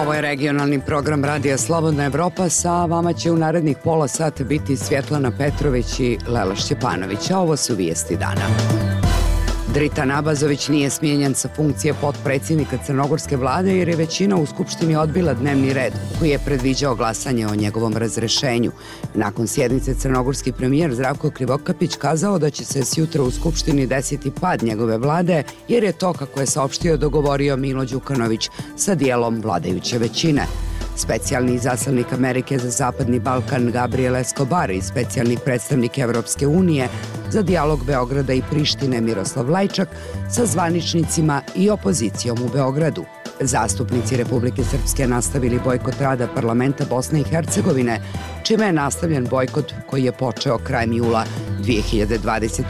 Ovo je regionalni program Radija Slobodna Evropa. Sa vama će u narednih pola sata biti Svjetlana Petrović i Lela Šćepanović. A ovo su vijesti dana. Dritan Abazović nije smijenjen sa funkcije potpredsjednika crnogorske vlade jer je većina u Skupštini odbila dnevni red koji je predviđao glasanje o njegovom razrešenju. Nakon sjednice crnogorski premijer Zdravko Krivokapić kazao da će se sjutra u Skupštini desiti pad njegove vlade jer je to, kako je saopštio, dogovorio Milo Đukanović sa dijelom vladajuće većine. Specijalni izaslanik Amerike za Zapadni Balkan Gabriel Escobar i specijalni predstavnik Evropske unije za dijalog Beograda i Prištine Miroslav Lajčak sa zvaničnicima i opozicijom u Beogradu. Zastupnici Republike Srpske nastavili bojkot rada parlamenta Bosne i Hercegovine, čime je nastavljen bojkot koji je počeo krajem jula 2021.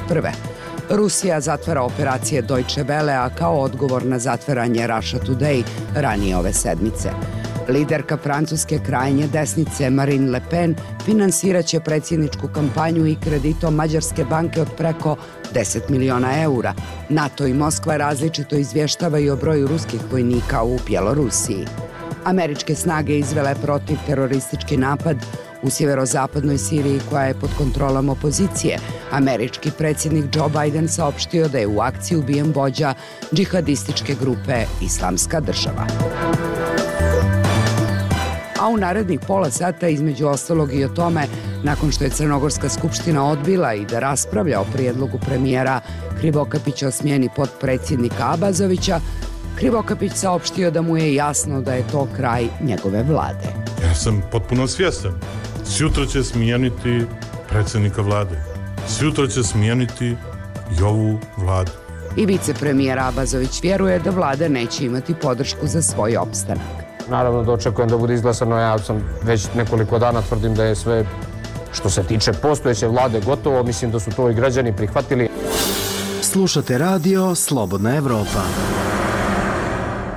Rusija zatvara operacije Deutsche Welle, a kao odgovor na zatvaranje Russia Today ranije ove sedmice. Liderka francuske krajnje desnice Marine Le Pen finansiraće predsjedničku kampanju i kreditom Mađarske banke od preko 10 miliona eura. NATO i Moskva različito izvještavaju o broju ruskih vojnika u Bjelorusiji. Američke snage izvele protiv teroristički napad u sjeverozapadnoj Siriji koja je pod kontrolom opozicije. Američki predsjednik Joe Biden saopštio da je u akciji ubijen vođa džihadističke grupe Islamska država. A u narednih pola sata, između ostalog i o tome, nakon što je Crnogorska skupština odbila i da raspravlja o prijedlogu premijera Krivokapića o smjeni potpredsjednika Abazovića, Krivokapić saopštio da mu je jasno da je to kraj njegove vlade. Ja sam potpuno svjestan. Sutra će smijeniti predsjednika vlade. Sutra će smijeniti i ovu vladu. I vicepremijer Abazović vjeruje da vlada neće imati podršku za svoj opstanak. Naravno da očekujem da bude izglasano, ja sam već nekoliko dana tvrdim da je sve što se tiče postojeće vlade gotovo, mislim da su to i građani prihvatili. Slušate radio Slobodna Evropa.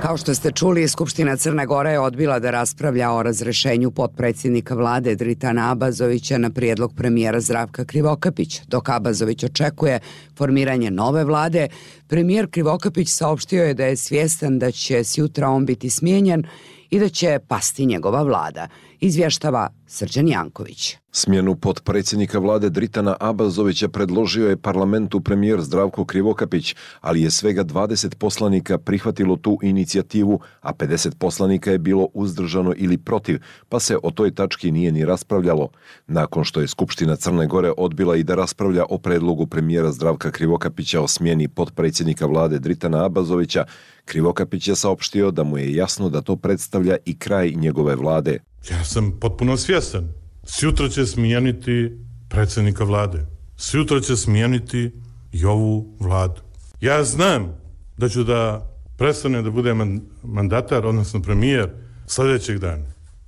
Kao što ste čuli, Skupština Crne Gore je odbila da raspravlja o razrešenju potpredsjednika vlade Dritana Abazovića na prijedlog premijera Zdravka Krivokapića. Dok Abazović očekuje formiranje nove vlade, premijer Krivokapić saopštio je da je svjestan da će sjutra on biti smijenjen i da će pasti njegova vlada, izvještava Srđan Janković. Smjenu potpredsjednika vlade Dritana Abazovića predložio je parlamentu premijer Zdravko Krivokapić, ali je svega 20 poslanika prihvatilo tu inicijativu, a 50 poslanika je bilo uzdržano ili protiv, pa se o toj tački nije ni raspravljalo. Nakon što je Skupština Crne Gore odbila i da raspravlja o predlogu premijera Zdravka Krivokapića o smjeni potpredsjednika vlade Dritana Abazovića, Krivokapić je saopštio da mu je jasno da to predstavlja i kraj njegove vlade. Ja sam potpuno svjestan. Sutra će smijeniti predsjednika vlade. Sutra će smijeniti i ovu vladu. Ja znam da ću da prestane da bude mandatar, odnosno premijer, sljedećeg dana.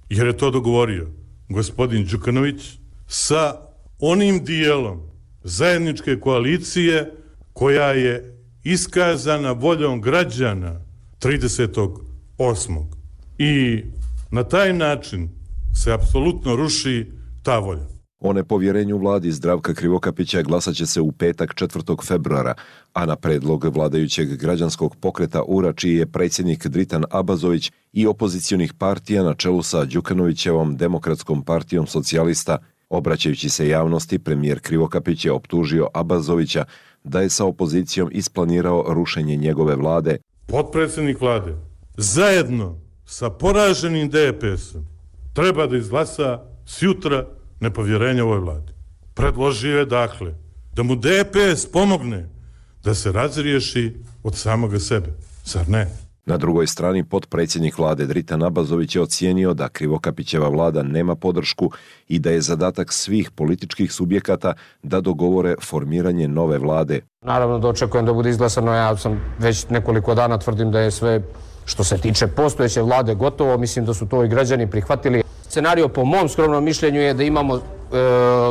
Jer je to dogovorio gospodin Đukanović sa onim dijelom zajedničke koalicije koja je iskazana voljom građana 30.8. I na taj način se apsolutno ruši ta volja. O nepovjerenju vladi Zdravka Krivokapića glasat će se u petak 4. februara, a na predlog vladajućeg građanskog pokreta URA, čiji je predsjednik Dritan Abazović, i opozicionih partija na čelu sa Đukanovićevom Demokratskom partijom socijalista. Obraćajući se javnosti, premijer Krivokapić je optužio Abazovića da je sa opozicijom isplanirao rušenje njegove vlade. Potpredsjednik vlade zajedno sa poraženim DPS-om treba da izglasa sutra nepovjerenje ovoj vladi. Predložio je dakle da mu DPS pomogne da se razriješi od samoga sebe. Zar ne? Na drugoj strani, potpredsjednik vlade Dritan Abazović je ocijenio da Krivokapićeva vlada nema podršku i da je zadatak svih političkih subjekata da dogovore formiranje nove vlade. Naravno da očekujem da bude izglasano, ja sam već nekoliko dana tvrdim da je sve što se tiče postojeće vlade gotovo, mislim da su to i građani prihvatili. Scenario po mom skromnom mišljenju je da imamo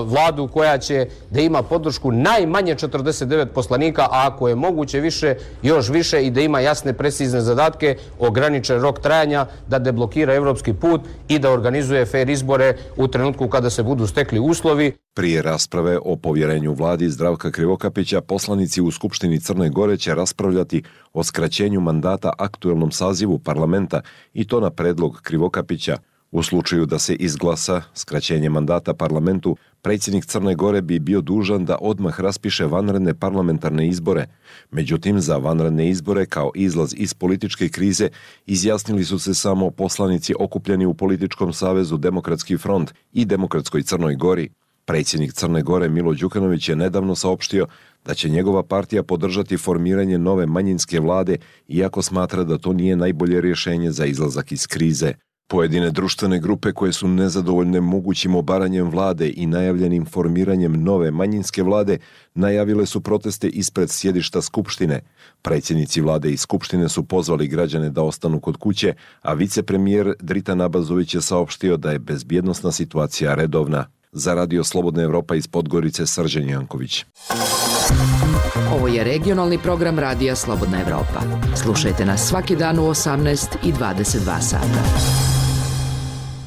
vladu koja će da ima podršku najmanje 49 poslanika, a ako je moguće više, još više, i da ima jasne, precizne zadatke, ograničen rok trajanja, da deblokira evropski put i da organizuje fer izbore u trenutku kada se budu stekli uslovi. Prije rasprave o povjerenju vladi Zdravka Krivokapića, poslanici u Skupštini Crne Gore će raspravljati o skraćenju mandata aktuelnom sazivu parlamenta, i to na predlog Krivokapića. U slučaju da se izglasa skraćenje mandata parlamentu, predsjednik Crne Gore bi bio dužan da odmah raspiše vanredne parlamentarne izbore. Međutim, za vanredne izbore kao izlaz iz političke krize izjasnili su se samo poslanici okupljeni u političkom savezu Demokratski front i Demokratskoj Crnoj Gori. Predsjednik Crne Gore Milo Đukanović je nedavno saopštio da će njegova partija podržati formiranje nove manjinske vlade, iako smatra da to nije najbolje rješenje za izlazak iz krize. Pojedine društvene grupe koje su nezadovoljne mogućim obaranjem vlade i najavljenim formiranjem nove manjinske vlade najavile su proteste ispred sjedišta Skupštine. Predsjednici vlade i Skupštine su pozvali građane da ostanu kod kuće, a vicepremijer Dritan Abazović je saopštio da je bezbjednosna situacija redovna. Za Radio Slobodna Evropa iz Podgorice, Srđan Janković. Ovo je regionalni program Radija Slobodna Evropa. Slušajte nas svaki dan u 18 i 22 sata.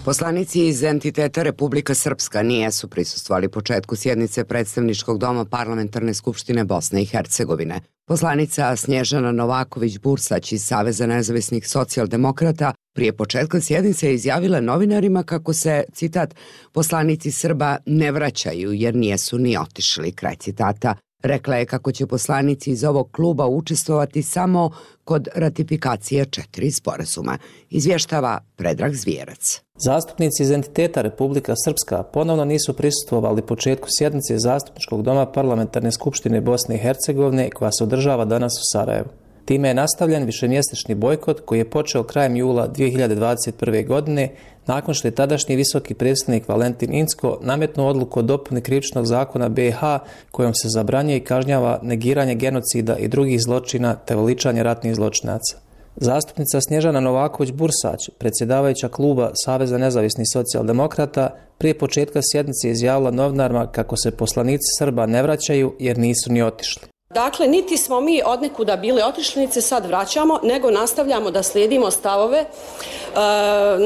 Poslanici iz entiteta Republika Srpska nisu prisustvovali početku sjednice Predstavničkog doma Parlamentarne skupštine Bosne i Hercegovine. Poslanica Snježana Novaković-Bursać iz Saveza nezavisnih socijaldemokrata prije početka sjednice je izjavila novinarima kako se, citat, poslanici Srba ne vraćaju jer nijesu ni otišli, kraj citata. Rekla je kako će poslanici iz ovog kluba učestvovati samo kod ratifikacije 4 sporazuma. Izvještava Predrag Zvijerac. Zastupnici iz entiteta Republika Srpska ponovno nisu prisustvovali početku sjednice Zastupničkog doma Parlamentarne skupštine Bosne i Hercegovine koja se održava danas u Sarajevu. Time je nastavljen višemjesečni bojkot koji je počeo krajem jula 2021. godine nakon što je tadašnji visoki predstavnik Valentin Incko nametnuo odluku o dopuni Krivičnog zakona BiH kojom se zabranjuje i kažnjava negiranje genocida i drugih zločina te veličanje ratnih zločinaca. Zastupnica Snježana Novaković-Bursać, predsjedavajuća kluba Saveza nezavisnih socijaldemokrata, prije početka sjednice izjavila novinarima kako se poslanici Srba ne vraćaju jer nisu ni otišli. Dakle, niti smo mi odnekuda bili otišli, niti se sad vraćamo, nego nastavljamo da slijedimo stavove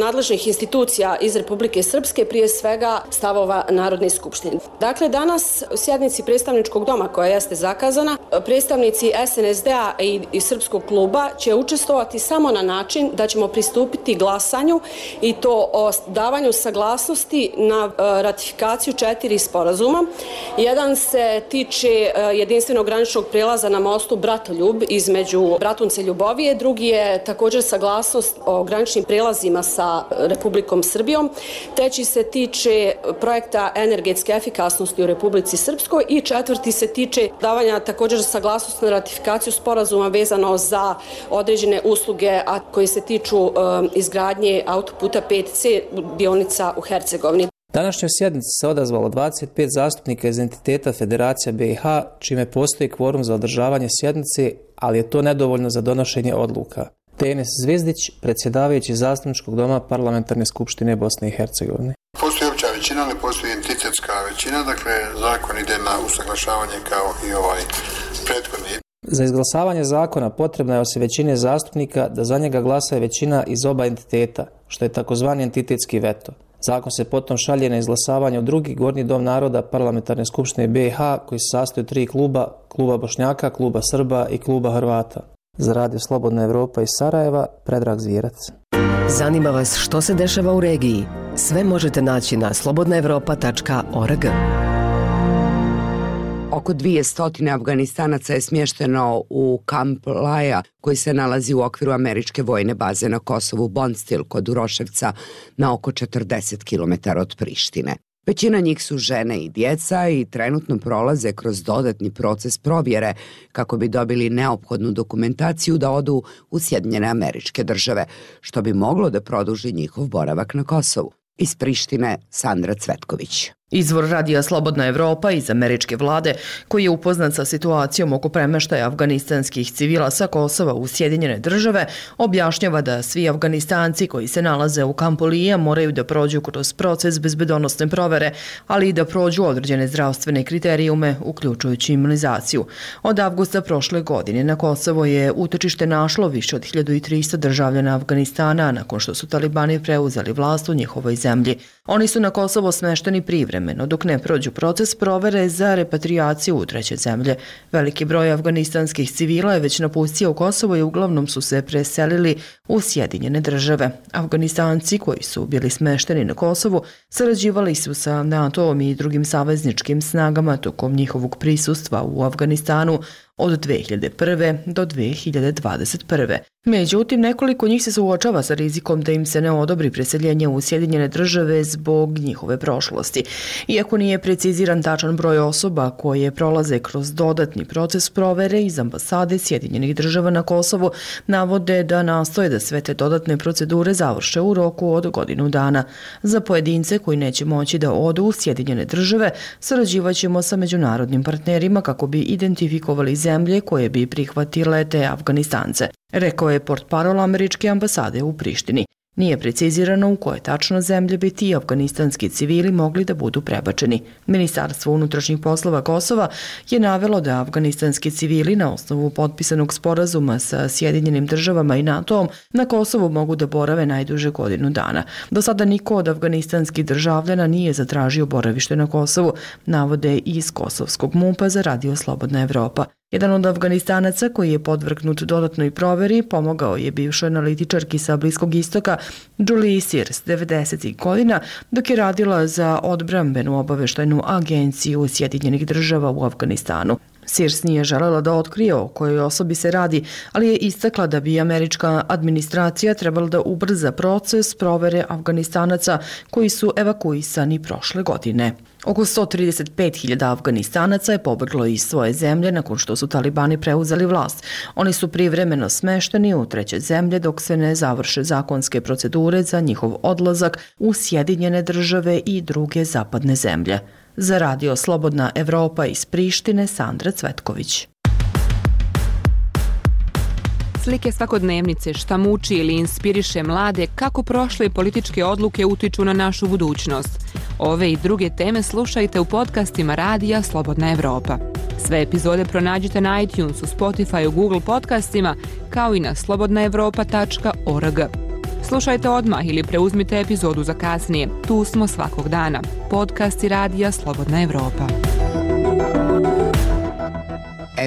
nadležnih institucija iz Republike Srpske, prije svega stavova Narodne skupštine. Dakle, danas u sjednici predstavničkog doma koja jeste zakazana, predstavnici SNSD-a i Srpskog kluba će učestvovati samo na način da ćemo pristupiti glasanju i to o davanju saglasnosti na ratifikaciju 4 sporazuma. Jedan se tiče jedinstvenog graničnog prelaza na mostu Bratoljub između Bratunca i Ljubovije, drugi je također saglasnost o graničnim prelazima sa Republikom Srbijom, treći se tiče projekta energetske efikasnosti u Republici Srpskoj i četvrti se tiče davanja također saglasnosti na ratifikaciju sporazuma vezano za određene usluge, a koji se tiču izgradnje autoputa 5C dionica u Hercegovini. Današnjoj sjednici se odazvalo 25 zastupnika iz entiteta Federacija BiH, čime postoji kvorum za održavanje sjednice, ali je to nedovoljno za donošenje odluka. Tenis Zvizdić, predsjedavajući Zastupničkog doma Parlamentarne skupštine Bosne i Hercegovine. Postoji opća većina, ali postoji entitetska većina, dakle zakon ide na usaglašavanje kao i ovaj prethodni. Za izglasavanje zakona potrebna je osim većine zastupnika da za njega glasa većina iz oba entiteta, što je takozvani entitetski veto. Zakon se potom šalje na izglasavanje u drugi gornji dom naroda Parlamentarne skupštine BiH koji se sastoji od 3 kluba, kluba Bošnjaka, kluba Srba i kluba Hrvata. Za Radio Slobodna Evropa iz Sarajeva, Predrag Zvijerac. Zanima vas što se dešava u regiji? Sve možete naći na slobodnaevropa.org. Oko 200 Afganistanaca je smješteno u kamp Laja, koji se nalazi u okviru američke vojne baze na Kosovu Bondstil kod Uroševca na oko 40 km od Prištine. Većina njih su žene i djeca i trenutno prolaze kroz dodatni proces provjere kako bi dobili neophodnu dokumentaciju da odu u Sjedinjene Američke Države, što bi moglo da produži njihov boravak na Kosovu. Iz Prištine, Sandra Cvetković. Izvor radija Slobodna Evropa iz američke vlade, koji je upoznat sa situacijom oko premeštaja afganistanskih civila sa Kosova u Sjedinjene države, objašnjava da svi Afganistanci koji se nalaze u kampu Lija moraju da prođu kroz proces bezbedonosne provere, ali i da prođu određene zdravstvene kriterijume, uključujući imunizaciju. Od avgusta prošle godine na Kosovo je utočište našlo više od 1300 državljana Afganistana nakon što su talibani preuzeli vlast u njihovoj zemlji. Oni su na Kosovo smešteni privremeno dok ne prođu proces provere za repatriaciju u treće zemlje. Veliki broj afganistanskih civila je već napustio Kosovo i uglavnom su se preselili u Sjedinjene države. Afganistanci koji su bili smešteni na Kosovu sarađivali su sa NATO-om i drugim savezničkim snagama tokom njihovog prisustva u Afganistanu od 2001. do 2021. Međutim, nekoliko njih se suočava sa rizikom da im se ne odobri preseljenje u Sjedinjene države zbog njihove prošlosti. Iako nije preciziran tačan broj osoba koje prolaze kroz dodatni proces provere, iz ambasade Sjedinjenih država na Kosovu navode da nastoje da sve te dodatne procedure završe u roku od godinu dana. Za pojedince koji neće moći da odu u Sjedinjene države, sarađivaćemo sa međunarodnim partnerima kako bi identifikovali zemlje koje bi prihvatile te Afganistance, rekao je portparol američke ambasade u Prištini. Nije precizirano u koje tačno zemlje bi ti afganistanski civili mogli da budu prebačeni. Ministarstvo unutrašnjih poslova Kosova je navelo da afganistanski civili na osnovu potpisanog sporazuma sa Sjedinjenim državama i NATO-om na Kosovu mogu da borave najduže godinu dana. Do sada niko od afganistanskih državljana nije zatražio boravište na Kosovu, navode iz kosovskog MUP-a za Radio Slobodna Evropa. Jedan od Afganistanaca koji je podvrgnut dodatnoj proveri pomogao je bivšoj analitičarki sa Bliskog istoka Julie Sears 90. godina dok je radila za odbrambenu obaveštajnu agenciju Sjedinjenih država u Afganistanu. Sears nije želela da otkrije o kojoj osobi se radi, ali je istakla da bi američka administracija trebala da ubrza proces provere Afganistanaca koji su evakuisani prošle godine. Oko 135.000 Afganistanaca je pobeglo iz svoje zemlje nakon što su talibani preuzeli vlast. Oni su privremeno smešteni u treće zemlje dok se ne završe zakonske procedure za njihov odlazak u Sjedinjene države i druge zapadne zemlje. Za Radio Slobodna Evropa iz Prištine, Sandra Cvetković. Slike svakodnevnice, šta muči ili inspiriše mlade, kako prošle političke odluke utiču na našu budućnost. Ove i druge teme slušajte u podcastima Radija Slobodna Evropa. Sve epizode pronađite na iTunesu, Spotifyu, Google podcastima, kao i na slobodnaevropa.org. Slušajte odmah ili preuzmite epizodu za kasnije. Tu smo svakog dana. Podcasti Radija Slobodna Evropa.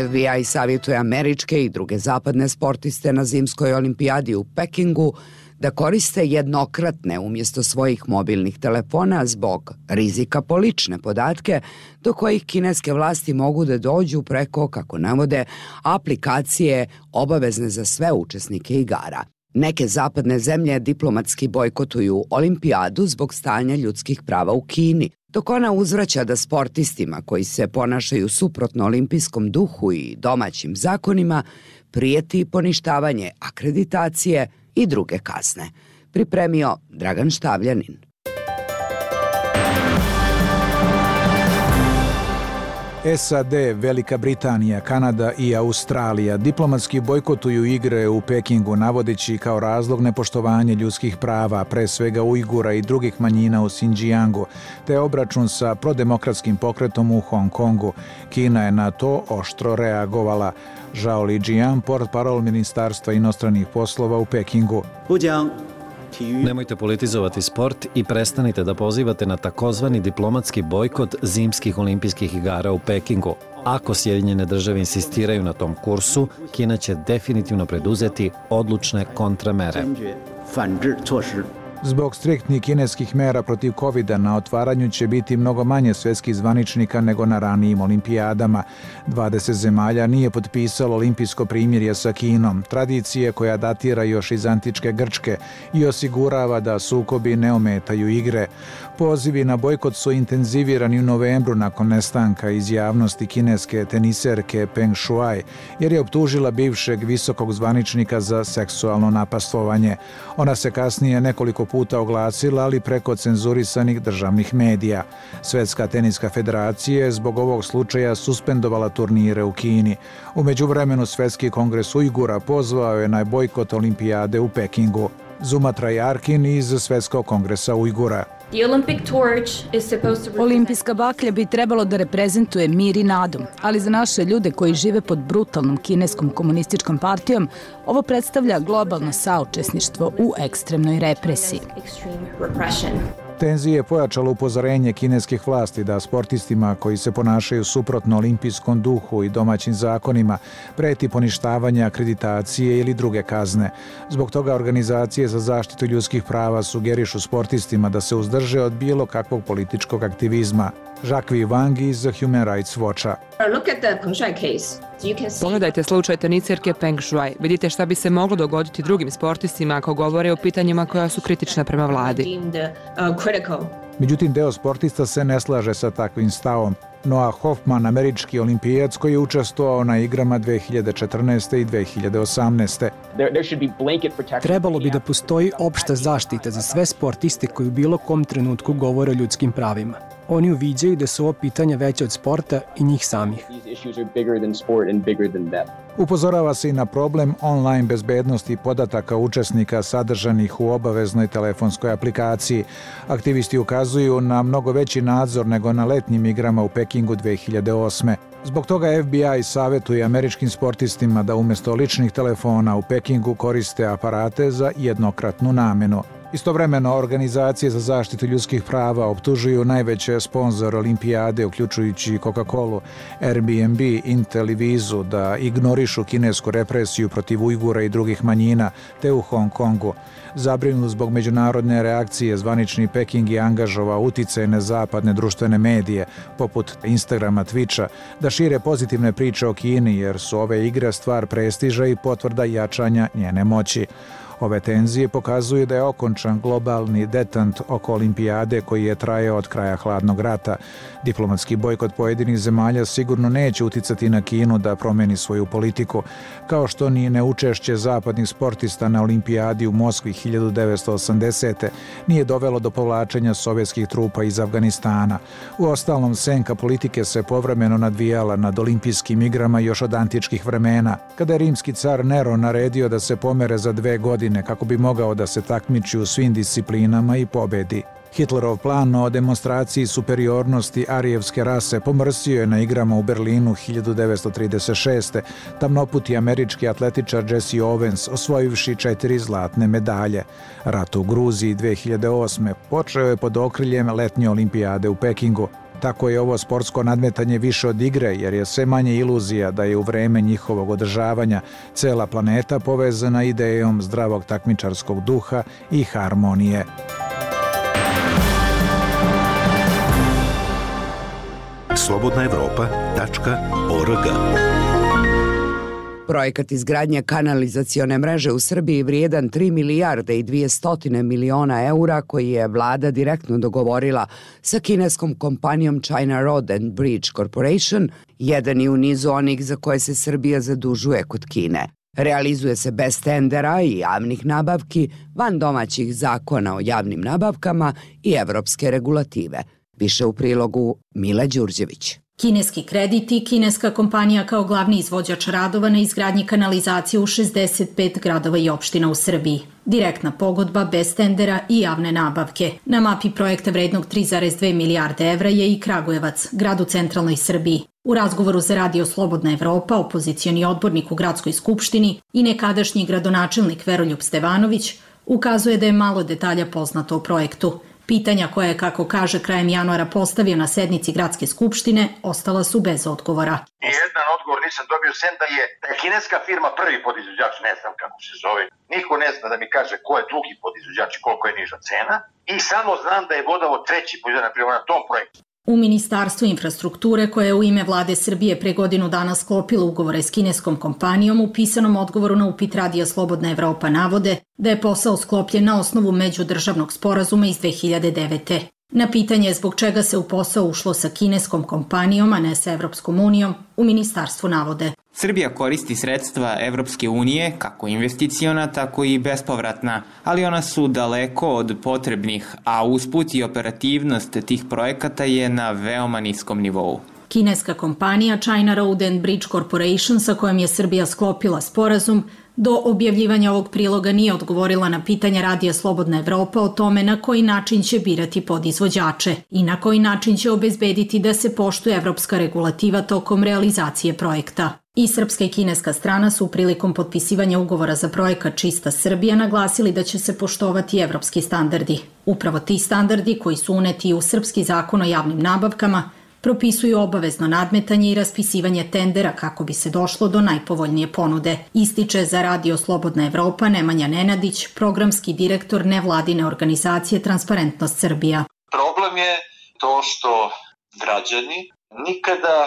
FBI savjetuje američke i druge zapadne sportiste na zimskoj olimpijadi u Pekingu da koriste jednokratne umjesto svojih mobilnih telefona zbog rizika po lične podatke do kojih kineske vlasti mogu da dođu preko, kako navode, aplikacije obavezne za sve učesnike igara. Neke zapadne zemlje diplomatski bojkotuju olimpijadu zbog stanja ljudskih prava u Kini, dok ona uzvraća da sportistima koji se ponašaju suprotno olimpijskom duhu i domaćim zakonima prijeti poništavanje akreditacije i druge kazne. Pripremio Dragan Štavljanin. SAD, Velika Britanija, Kanada i Australija diplomatski bojkotuju igre u Pekingu navodeći kao razlog nepoštovanje ljudskih prava, pre svega Ujgura i drugih manjina u Xinjiangu, te obračun sa prodemokratskim pokretom u Hong Kongu. Kina je na to oštro reagovala. Zhao Lijian, portparol Ministarstva inostranih poslova u Pekingu. Nemojte politizovati sport i prestanite da pozivate na takozvani diplomatski bojkot zimskih olimpijskih igara u Pekingu. Ako Sjedinjene države insistiraju na tom kursu, Kina će definitivno preduzeti odlučne kontramere. Zbog striktnih kineskih mera protiv COVID-a na otvaranju će biti mnogo manje svetskih zvaničnika nego na ranijim olimpijadama. 20 zemalja nije potpisalo olimpijsko primirje sa Kinom, tradicije koja datira još iz antičke Grčke i osigurava da sukobi ne ometaju igre. Pozivi na bojkot su intenzivirani u novembru nakon nestanka iz javnosti kineske teniserke Peng Shuai, jer je optužila bivšeg visokog zvaničnika za seksualno napastvovanje. Ona se kasnije nekoliko puta oglasila, ali preko cenzurisanih državnih medija. Svetska teniska federacija je zbog ovog slučaja suspendovala turnire u Kini. U međuvremenu Svetski kongres Ujgura pozvao je na bojkot olimpijade u Pekingu. Zumatra Jarkin iz Svetskog kongresa Ujgura. Olimpijska baklja bi trebalo da reprezentuje mir i nadu, ali za naše ljude koji žive pod brutalnom kineskom komunističkom partijom, ovo predstavlja globalno saučesništvo u ekstremnoj represiji. Tenzije je pojačalo upozorenje kineskih vlasti da sportistima koji se ponašaju suprotno olimpijskom duhu i domaćim zakonima preti poništavanje akreditacije ili druge kazne. Zbog toga organizacije za zaštitu ljudskih prava sugerišu sportistima da se uzdrže od bilo kakvog političkog aktivizma. Jacques Wang iz Human Rights Watcha. Pogledajte slučaj teniserke Peng Shuai. Vidite šta bi se moglo dogoditi drugim sportistima ako govore o pitanjima koja su kritična prema vladi. Međutim, deo sportista se ne slaže sa takvim stavom. Noah Hoffman, američki olimpijac koji je učestvovao na igrama 2014. i 2018. Trebalo bi da postoji opšta zaštita za sve sportiste koji u bilo kom trenutku govore o ljudskim pravima. Oni uviđaju da su ovo pitanja veće od sporta i njih samih. Upozorava se i na problem online bezbednosti podataka učesnika sadržanih u obaveznoj telefonskoj aplikaciji. Aktivisti ukazuju na mnogo veći nadzor nego na letnjim igrama u Pekingu 2008. Zbog toga FBI savjetuje američkim sportistima da umjesto ličnih telefona u Pekingu koriste aparate za jednokratnu namenu. Istovremeno, organizacije za zaštitu ljudskih prava optužuju najveće sponzore olimpijade, uključujući Coca-Colu, Airbnb, Intel i Vizu, da ignorišu kinesku represiju protiv Ujgura i drugih manjina, te u Hong Kongu. Zabrinut zbog međunarodne reakcije, zvanični Peking je angažovao uticajne zapadne društvene medije, poput Instagrama, Twitcha, da šire pozitivne priče o Kini, jer su ove igre stvar prestiža i potvrda jačanja njene moći. Ove tenzije pokazuju da je okončan globalni detant oko olimpijade koji je trajao od kraja hladnog rata. Diplomatski bojkot pojedinih zemalja sigurno neće uticati na Kinu da promeni svoju politiku, kao što ni neučešće zapadnih sportista na olimpijadi u Moskvi 1980. nije dovelo do povlačenja sovjetskih trupa iz Afganistana. Uostalom, senka politike se povremeno nadvijala nad olimpijskim igrama još od antičkih vremena, kada je rimski car Nero naredio da se pomere za 2 godine kako bi mogao da se takmiči u svim disciplinama i pobedi. Hitlerov plan o demonstraciji superiornosti arijevske rase pomrsio je na igrama u Berlinu 1936. Tamnoputi američki atletičar Jesse Owens osvojivši 4 zlatne medalje. Rat u Gruziji 2008. počeo je pod okriljem letnje olimpijade u Pekingu. Tako je ovo sportsko nadmetanje više od igre, jer je sve manje iluzija da je u vreme njihovog održavanja cela planeta povezana idejom zdravog takmičarskog duha i harmonije. slobodnaevropa.org. Projekat izgradnje kanalizacione mreže u Srbiji vrijedan 3 milijarde i 200 miliona eura koji je vlada direktno dogovorila sa kineskom kompanijom China Road and Bridge Corporation, jedan je u nizu onih za koje se Srbija zadužuje kod Kine. Realizuje se bez tendera i javnih nabavki, van domaćih zakona o javnim nabavkama i evropske regulative. Više u prilogu Mila Đurđević. Kineski kredit i kineska kompanija kao glavni izvođač radova na izgradnji kanalizacije u 65 gradova i opština u Srbiji. Direktna pogodba bez tendera i javne nabavke. Na mapi projekta vrednog 3,2 milijarde evra je i Kragujevac, grad u centralnoj Srbiji. U razgovoru za Radio Slobodna Evropa, opozicioni odbornik u gradskoj skupštini i nekadašnji gradonačelnik Veroljub Stevanović ukazuje da je malo detalja poznato o projektu. Pitanja koje je, kako kaže, krajem januara postavio na sednici gradske skupštine, ostala su bez odgovora. Jedan odgovor nisam dobio, sem da je kineska firma prvi podizvođač, ne znam kako se zove. Niko ne zna da mi kaže ko je drugi podizvođač i koliko je niža cena. I samo znam da je Vodovod treći podizvođač na tom projektu. U Ministarstvu infrastrukture, koje je u ime vlade Srbije pre godinu dana sklopilo ugovore s kineskom kompanijom, u pisanom odgovoru na upit Radija Slobodna Evropa navode da je posao sklopljen na osnovu međudržavnog sporazuma iz 2009. Na pitanje zbog čega se u posao ušlo sa kineskom kompanijom, a ne sa Evropskom unijom, u ministarstvu navode. Srbija koristi sredstva Evropske unije, kako investiciona, tako i bespovratna, ali ona su daleko od potrebnih, a usput i operativnost tih projekata je na veoma niskom nivou. Kineska kompanija China Road and Bridge Corporation, sa kojom je Srbija sklopila sporazum, do objavljivanja ovog priloga nije odgovorila na pitanja Radija Slobodna Evropa o tome na koji način će birati podizvođače i na koji način će obezbediti da se poštuje evropska regulativa tokom realizacije projekta. I srpska i kineska strana su prilikom potpisivanja ugovora za projekat Čista Srbija naglasili da će se poštovati evropski standardi. Upravo ti standardi, koji su uneti u srpski zakon o javnim nabavkama, propisuju obavezno nadmetanje i raspisivanje tendera kako bi se došlo do najpovoljnije ponude. Ističe za Radio Slobodna Evropa Nemanja Nenadić, programski direktor nevladine organizacije Transparentnost Srbija. Problem je to što građani nikada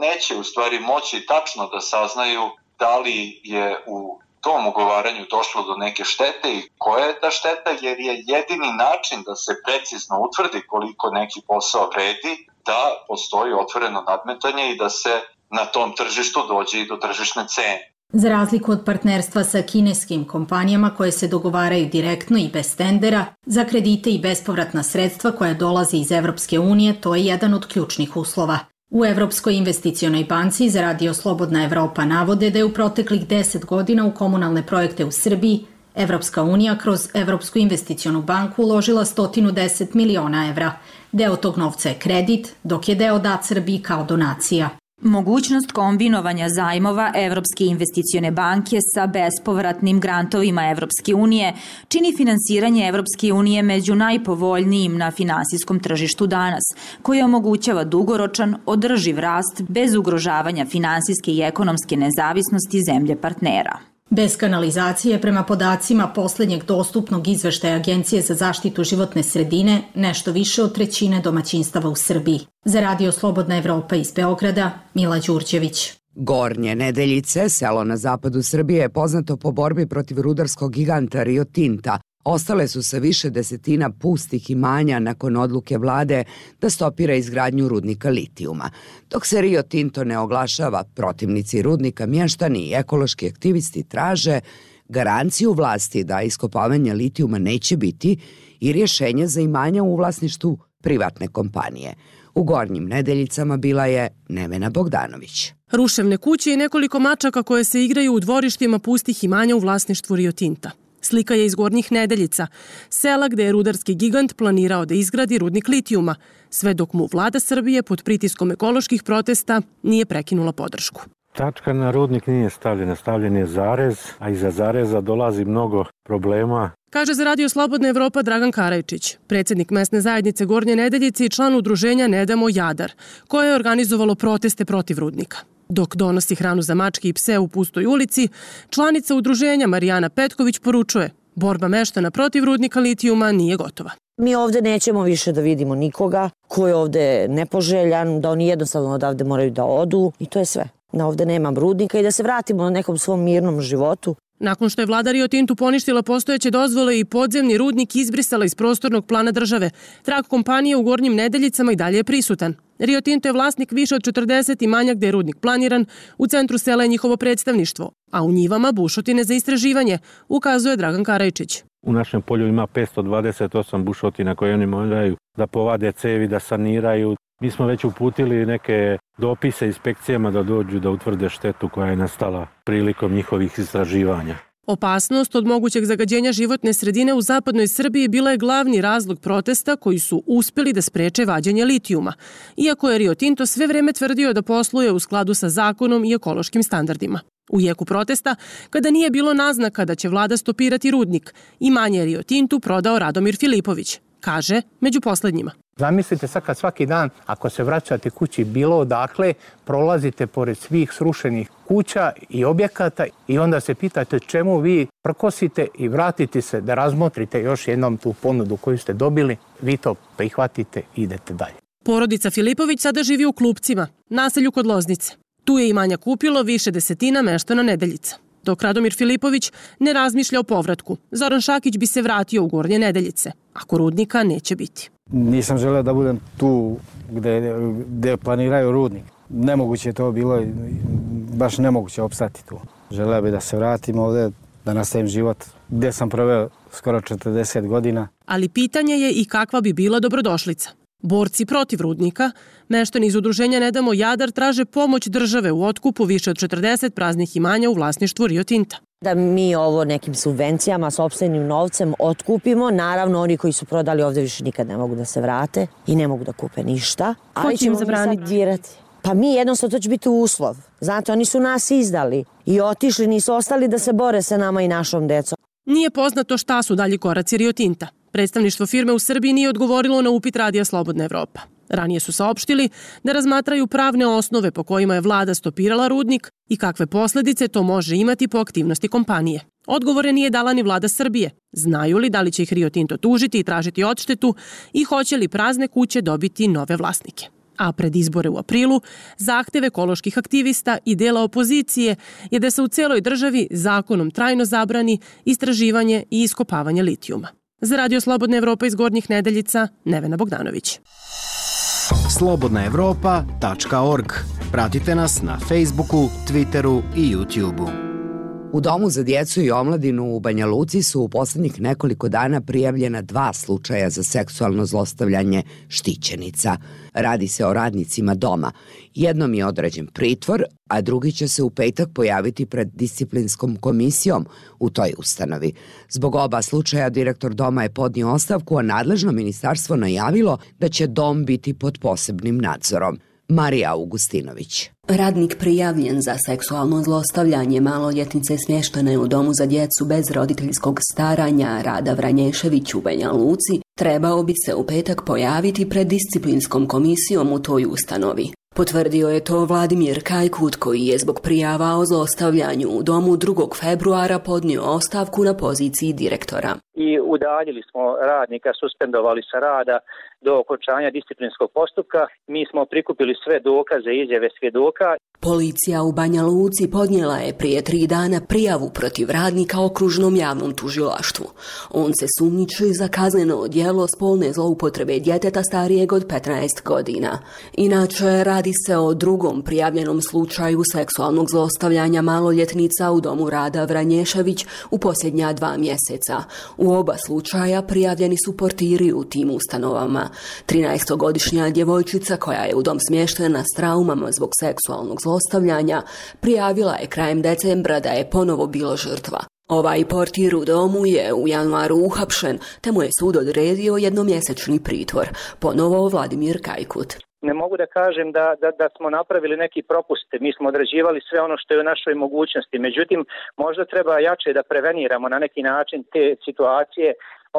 neće u stvari moći tačno da saznaju da li je u tom ugovaranju došlo do neke štete i koja je ta šteta, jer je jedini način da se precizno utvrdi koliko neki posao vredi, da postoji otvoreno nadmetanje i da se na tom tržištu dođe i do tržišne cene. Za razliku od partnerstva sa kineskim kompanijama koje se dogovaraju direktno i bez tendera, za kredite i bespovratna sredstva koja dolaze iz Evropske unije, to je jedan od ključnih uslova. U Evropskoj investicionoj banci za Radio Slobodna Evropa navode da je u proteklih 10 godina u komunalne projekte u Srbiji Evropska unija kroz Evropsku investicionu banku uložila 110 miliona evra. Deo tog novca je kredit, dok je deo dat Srbiji kao donacija. Mogućnost kombinovanja zajmova Evropske investicione banke sa bespovratnim grantovima Evropske unije čini finansiranje Evropske unije među najpovoljnijim na finansijskom tržištu danas, koji omogućava dugoročan, održiv rast bez ugrožavanja finansijske i ekonomske nezavisnosti zemlje partnera. Bez kanalizacije, prema podacima poslednjeg dostupnog izveštaja Agencije za zaštitu životne sredine, nešto više od trećine domaćinstava u Srbiji. Za Radio Slobodna Evropa iz Beograda, Mila Đurđević. Gornje Nedeljice, selo na zapadu Srbije, je poznato po borbi protiv rudarskog giganta Rio Tinta. Ostale su sa više desetina pustih imanja nakon odluke vlade da stopira izgradnju rudnika litijuma. Dok se Rio Tinto ne oglašava, protivnici rudnika, mještani i ekološki aktivisti traže garanciju vlasti da iskopavanja litijuma neće biti i rješenje za imanja u vlasništvu privatne kompanije. U Gornjim Nedeljicama bila je Nevena Bogdanović. Ruševne kuće i nekoliko mačaka koje se igraju u dvorištima pustih imanja u vlasništvu Rio Tinta. Slika je iz Gornjih Nedeljica, sela gde je rudarski gigant planirao da izgradi rudnik litijuma, sve dok mu vlada Srbije pod pritiskom ekoloških protesta nije prekinula podršku. Tačka na rudnik nije stavljena, stavljen je zarez, a iza zareza dolazi mnogo problema. Kaže za Radio Slobodna Evropa Dragan Karajčić, predsjednik mesne zajednice Gornje Nedeljice i član udruženja Ne damo Jadar, koje je organizovalo proteste protiv rudnika. Dok donosi hranu za mačke i pse u pustoj ulici, članica udruženja Marijana Petković poručuje: borba meštana protiv rudnika litijuma nije gotova. Mi ovde nećemo više da vidimo nikoga ko je ovde nepoželjan, da oni jednostavno odavde moraju da odu i to je sve. Da ovde nema rudnika i da se vratimo na nekom svom mirnom životu. Nakon što je vlada Rio Tintu poništila postojeće dozvole i podzemni rudnik izbrisala iz prostornog plana države, trag kompanije u Gornjim Nedeljicama i dalje je prisutan. Rio Tinto je vlasnik više od 40 imanja gde je rudnik planiran, u centru sela je njihovo predstavništvo, a u njivama bušotine za istraživanje, ukazuje Dragan Karajčić. U našem polju ima 528 bušotina koje oni moraju da povade cevi, da saniraju. Mi smo već uputili neke dopise inspekcijama da dođu da utvrde štetu koja je nastala prilikom njihovih istraživanja. Opasnost od mogućeg zagađenja životne sredine u zapadnoj Srbiji bila je glavni razlog protesta koji su uspeli da spreče vađenje litijuma, iako je Rio Tinto sve vreme tvrdio da posluje u skladu sa zakonom i ekološkim standardima. U jeku protesta, kada nije bilo naznaka da će vlada stopirati rudnik, imanje Rio Tintu prodao Radomir Filipović, kaže među poslednjima. Zamislite sad kad svaki dan, ako se vraćate kući bilo odakle, prolazite pored svih srušenih kuća i objekata i onda se pitate čemu vi prkosite i vratite se da razmotrite još jednom tu ponudu koju ste dobili, vi to prihvatite i idete dalje. Porodica Filipović sada živi u Klupcima, naselju kod Loznice. Tu je imanja kupilo više desetina meštana Nedeljica. Dok Radomir Filipović ne razmišlja o povratku, Zoran Šakić bi se vratio u Gornje Nedeljice, ako rudnika neće biti. Nisam želeo da budem tu gde planiraju rudnik. Nemoguće je to bilo baš nemoguće opstati tu. Želeo bih da se vratim ovde, da nastavim život gdje sam proveo skoro 40 godina. Ali pitanje je i kakva bi bila dobrodošlica. Borci protiv rudnika, meštani iz udruženja Ne damo Jadar traže pomoć države u otkupu više od 40 praznih imanja u vlasništvu Rio Tinta. Da mi ovo nekim subvencijama, sopstvenim novcem otkupimo. Naravno, oni koji su prodali ovde više nikad ne mogu da se vrate i ne mogu da kupe ništa. Ko će im zabraniti? Pa mi jednostavno, to će biti uslov. Znate, oni su nas izdali i otišli, nisu ostali da se bore sa nama i našom decom. Nije poznato šta su dalji koraci Rio Tinta. Predstavništvo firme u Srbiji nije odgovorilo na upit Radija Slobodna Evropa. Ranije su saopštili da razmatraju pravne osnove po kojima je vlada stopirala rudnik i kakve posledice to može imati po aktivnosti kompanije. Odgovore nije dala ni vlada Srbije. Znaju li da li će ih Rio Tinto tužiti i tražiti odštetu i hoće li prazne kuće dobiti nove vlasnike. A pred izbore u aprilu, zahtev ekoloških aktivista i dela opozicije je da se u celoj državi zakonom trajno zabrani istraživanje i iskopavanje litijuma. Za Radio Slobodna Evropa iz Gornjih Nedeljica, Nevena Bogdanović. slobodnaevropa.org. Pratite nas na Facebooku, Twitteru i YouTubeu. U Domu za djecu i omladinu u Banja Luci su u poslednjih nekoliko dana prijavljena 2 slučaja za seksualno zlostavljanje štićenica. Radi se o radnicima doma. Jednom je određen pritvor, a drugi će se u petak pojaviti pred disciplinskom komisijom u toj ustanovi. Zbog oba slučaja direktor doma je podnio ostavku, a nadležno ministarstvo najavilo da će dom biti pod posebnim nadzorom. Marija Augustinović. Radnik prijavljen za seksualno zlostavljanje maloljetnice smještene u Domu za djecu bez roditeljskog staranja Rada Vranješević u Banja Luci trebao bi se u petak pojaviti pred disciplinskom komisijom u toj ustanovi. Potvrdio je to Vladimir Kajkut, koji je zbog prijava o zlostavljanju u domu 2. februara podnio ostavku na poziciji direktora. I udaljili smo radnika, suspendovali sa rada do okončanja disciplinskog postupka. Mi smo prikupili sve dokaze i izjave svjedoka. Policija u Banja Luci podnijela je prije 3 dana prijavu protiv radnika okružnom javnom tužilaštvu. On se sumnjiči za kazneno djelo spolne zloupotrebe djeteta starijeg od 15 godina. Inače, radi se o drugom prijavljenom slučaju seksualnog zlostavljanja maloljetnica u Domu Rada Vranješević u posljednja 2 mjeseca. U oba slučaja prijavljeni su portiri u tim ustanovama. 13-godišnja djevojčica koja je u dom smještena s traumama zbog seksualnog zlostavljanja prijavila je krajem decembra da je ponovo bila žrtva. Ovaj portir u domu je u januaru uhapšen, te mu je sud odredio jednomjesečni pritvor. Ponovo Vladimir Kajkut. Ne mogu da kažem da smo napravili neki propust, mi smo odrađivali sve ono što je u našoj mogućnosti, međutim možda treba jače da preveniramo na neki način te situacije,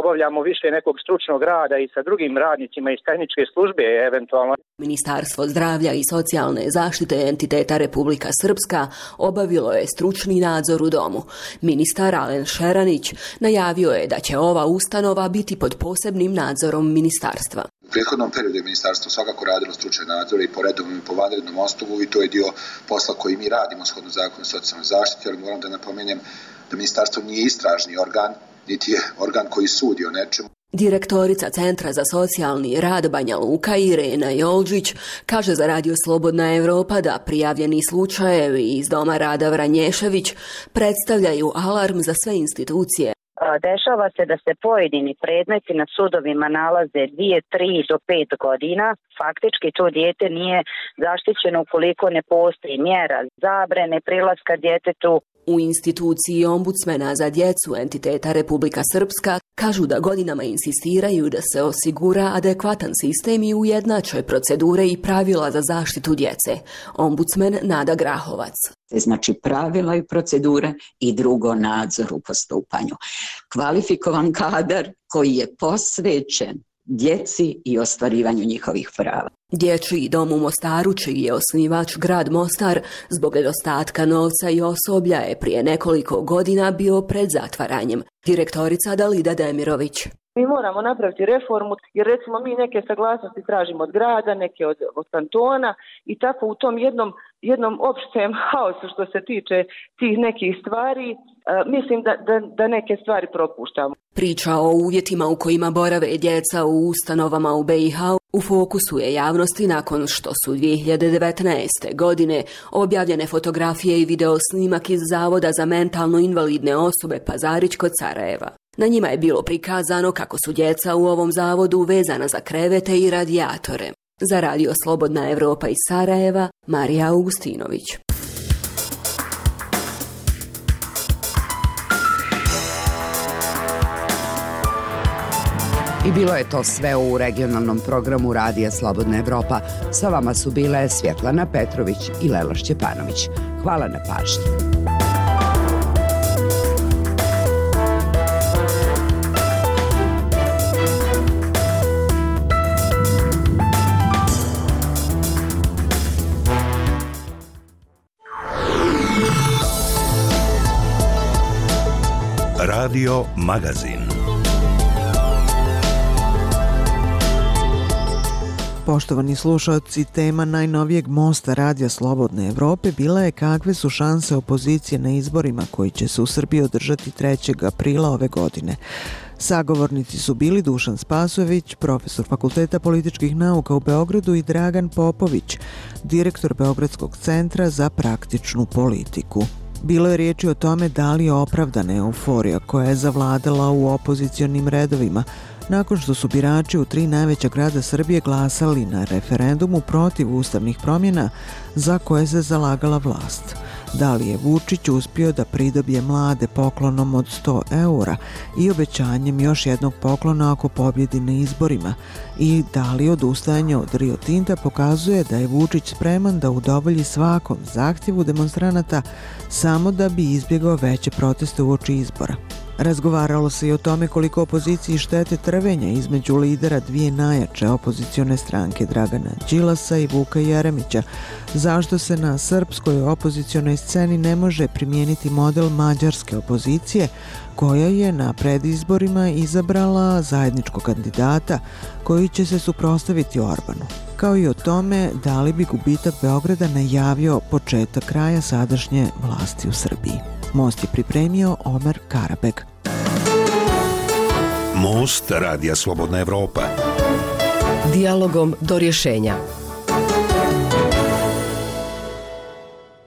obavljamo više nekog stručnog rada i sa drugim radnicima iz tehničke službe eventualno. Ministarstvo zdravlja i socijalne zaštite entiteta Republika Srpska obavilo je stručni nadzor u domu. Ministar Alen Šeranić najavio je da će ova ustanova biti pod posebnim nadzorom ministarstva. U prethodnom periodu je ministarstvo svakako radilo stručne nadzore i po redovnom i po vanrednom osnovu i to je dio posla koji mi radimo shodno zakonu o socijalnoj zaštiti, ali moram da napomenem da ministarstvo nije istražni organ, niti je organ koji sudi o nečemu. Direktorica Centra za socijalni rad Banja Luka Irena Jolđić kaže za Radio Slobodna Evropa da prijavljeni slučajevi iz Doma Rada Vranješević predstavljaju alarm za sve institucije. Dešava se da se pojedini predmeti na sudovima nalaze 2, 3 do 5 godina. Faktički to dijete nije zaštićeno ukoliko ne postoji mjera zabrane prilaska djetetu. U instituciji ombudsmena za djecu entiteta Republika Srpska kažu da godinama insistiraju da se osigura adekvatan sistem i ujednače procedure i pravila za zaštitu djece. Ombudsmen Nada Grahovac. Znači pravila i procedure i drugo nadzor u postupanju. Kvalifikovan kadar koji je posvećen djeci i ostvarivanju njihovih prava. Dječji dom u Mostaru, čiji je osnivač grad Mostar, zbog nedostatka novca i osoblja je prije nekoliko godina bio pred zatvaranjem. Direktorica Dalida Demirović. Mi moramo napraviti reformu, jer recimo mi neke saglasnosti tražimo od grada, neke od kantona i tako u tom jednom opštem haosu što se tiče tih nekih stvari, mislim da neke stvari propuštamo. Priča o uvjetima u kojima borave djeca u ustanovama u BiH u fokusu je javnosti nakon što su 2019. godine objavljene fotografije i videosnimak iz Zavoda za mentalno invalidne osobe Pazarić kod Sarajeva. Na njima je bilo prikazano kako su djeca u ovom zavodu vezana za krevete i radijatore. Za Radio Slobodna Evropa iz Sarajeva, Marija Augustinović. I bilo je to sve u regionalnom programu Radija Slobodna Evropa. Sa vama su bile Svjetlana Petrović i Lela Šćepanović. Hvala na pažnji. Radio Magazin. Poštovani slušalci, tema najnovijeg mosta Radija Slobodne Evrope bila je kakve su šanse opozicije na izborima koji će se u Srbiji održati 3. aprila ove godine. Sagovornici su bili Dušan Spasojević, profesor Fakulteta političkih nauka u Beogradu, i Dragan Popović, direktor Beogradskog centra za praktičnu politiku. Bilo je riječi o tome da li je opravdana euforija koja je zavladala u opozicionim redovima nakon što su birači u 3 najveća grada Srbije glasali na referendumu protiv ustavnih promjena za koje se zalagala vlast. Da li je Vučić uspio da pridobije mlade poklonom od 100 eura i obećanjem još jednog poklona ako pobjedi na izborima, i da li odustajanje od Rio Tinta pokazuje da je Vučić spreman da udovolji svakom zahtjevu demonstranata samo da bi izbjegao veće proteste uoči izbora. Razgovaralo se i o tome koliko opoziciji štete trvenja između lidera 2 najjače opozicione stranke Dragana Đilasa i Vuka Jeremića, zašto se na srpskoj opozicionoj sceni ne može primijeniti model mađarske opozicije koja je na predizborima izabrala zajedničkog kandidata koji će se suprotstaviti Orbanu, kao i o tome da li bi gubitak Beograda najavio početak kraja sadašnje vlasti u Srbiji. Most je pripremio Omer Karabeg. Most Radija Slobodna Evropa. Dijalogom do rješenja.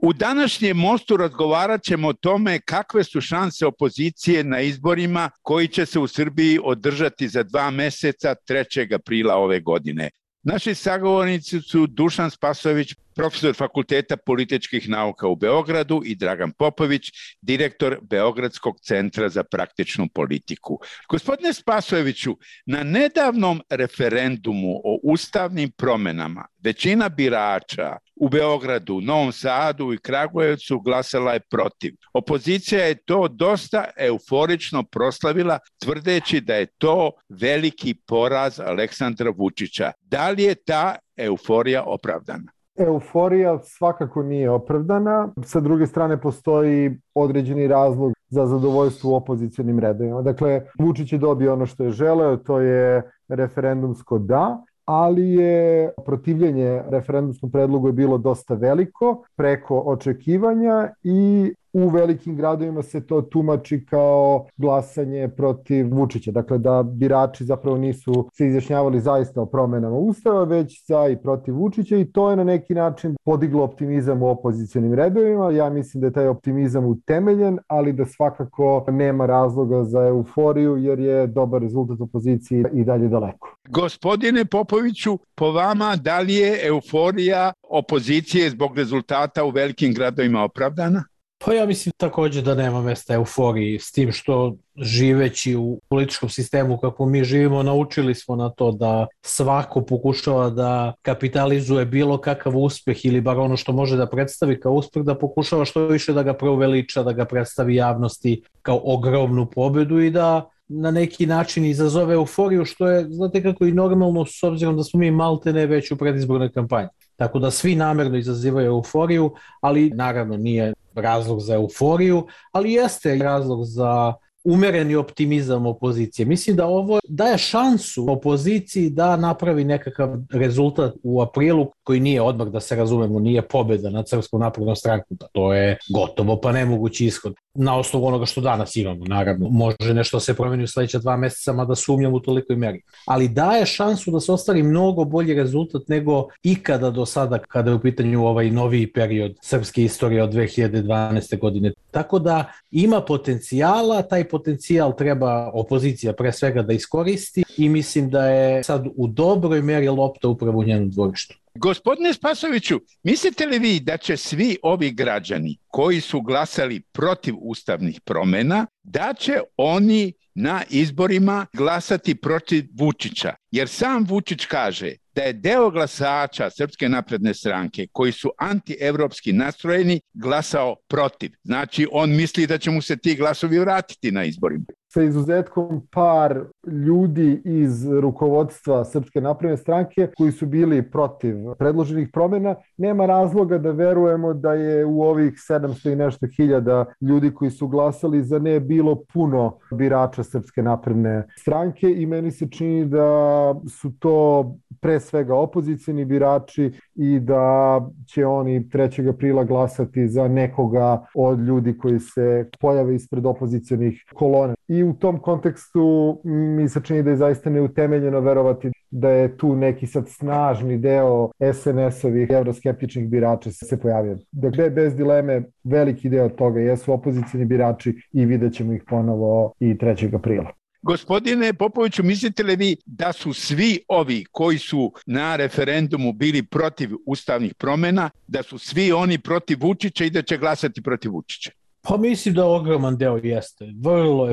U današnjem mostu razgovarat ćemo o tome kakve su šanse opozicije na izborima koji će se u Srbiji održati za 2 mjeseca 3. aprila ove godine. Naši sagovornici su Dušan Spasojević, profesor Fakulteta političkih nauka u Beogradu, i Dragan Popović, direktor Beogradskog centra za praktičnu politiku. Gospodine Spasojeviću, na nedavnom referendumu o ustavnim promjenama većina birača u Beogradu, Novom Sadu i Kragujevcu glasala je protiv. Opozicija je to dosta euforično proslavila, tvrdeći da je to veliki poraz Aleksandra Vučića. Da li je ta euforija opravdana? Euforija svakako nije opravdana. Sa druge strane postoji određeni razlog za zadovoljstvo u opozicionim redovima. Dakle, Vučić je dobio ono što je želeo, to je referendumsko da, ali je protivljenje referendumskom predlogu je bilo dosta veliko, preko očekivanja, i u velikim gradovima se to tumači kao glasanje protiv Vučića. Dakle, da birači zapravo nisu se izjašnjavali zaista o promjenama Ustava, već za i protiv Vučića, i to je na neki način podiglo optimizam u opozicionim redovima. Ja mislim da je taj optimizam utemeljen, ali da svakako nema razloga za euforiju, jer je dobar rezultat opozicije i dalje daleko. Gospodine Popoviću, po vama, da li je euforija opozicije zbog rezultata u velikim gradovima opravdana? Pa ja mislim također da nema mjesta euforiji, s tim što živeći u političkom sistemu kako mi živimo, naučili smo na to da svako pokušava da kapitalizuje bilo kakav uspjeh ili bar ono što može da predstavi kao uspjeh, da pokušava što više da ga preuveliča, da ga predstavi javnosti kao ogromnu pobjedu i da na neki način izazove euforiju, što je, znate kako, i normalno, s obzirom da smo mi maltene već u predizbornoj kampanji. Tako da svi namjerno izazivaju euforiju, ali naravno nije razlog za euforiju, ali jeste razlog za umereni optimizam opozicije. Mislim da ovo daje šansu opoziciji da napravi nekakav rezultat u aprilu koji nije odmah, da se razumemo, nije pobjeda nad Srpskom naprednom strankom. To je gotovo pa nemogući ishod. Na osnovu onoga što danas imamo, naravno. Može nešto se promeni u sledeća 2 meseca, mada sumnjam u tolikoj meri. Ali daje šansu da se ostvari mnogo bolji rezultat nego ikada do sada kada je u pitanju ovaj noviji period srpske istorije od 2012. godine. Tako da ima potencijala, taj potencijal treba opozicija pre svega da iskoristi i mislim da je sad u dobroj meri lopta upravo u njenom dvorištu. Gospodine Spasoviću, mislite li vi da će svi ovi građani koji su glasali protiv ustavnih promjena, da će oni na izborima glasati protiv Vučića? Jer sam Vučić kaže da je deo glasača Srpske napredne stranke koji su antievropski nastrojeni glasao protiv. Znači, on misli da će mu se ti glasovi vratiti na izborima. Sa izuzetkom par ljudi iz rukovodstva Srpske napredne stranke koji su bili protiv predloženih promjena, nema razloga da verujemo da je u ovih 700 i nešto hiljada ljudi koji su glasali za ne bilo puno birača Srpske napredne stranke i meni se čini da su to pre svega opozicijni birači i da će oni 3. aprila glasati za nekoga od ljudi koji se pojave ispred opozicionih kolona. I u tom kontekstu mi se čini da je zaista neutemeljeno verovati da je tu neki sad snažni deo SNS-ovih evroskeptičnih birača se pojavio. Dakle, bez dileme, veliki deo toga jesu opozicijni birači i vidjet ćemo ih ponovo i 3. aprila. Gospodine Popoviću, mislite li vi da su svi ovi koji su na referendumu bili protiv ustavnih promjena, da su svi oni protiv Vučića i da će glasati protiv Vučića? Pa mislim da ogroman deo jeste.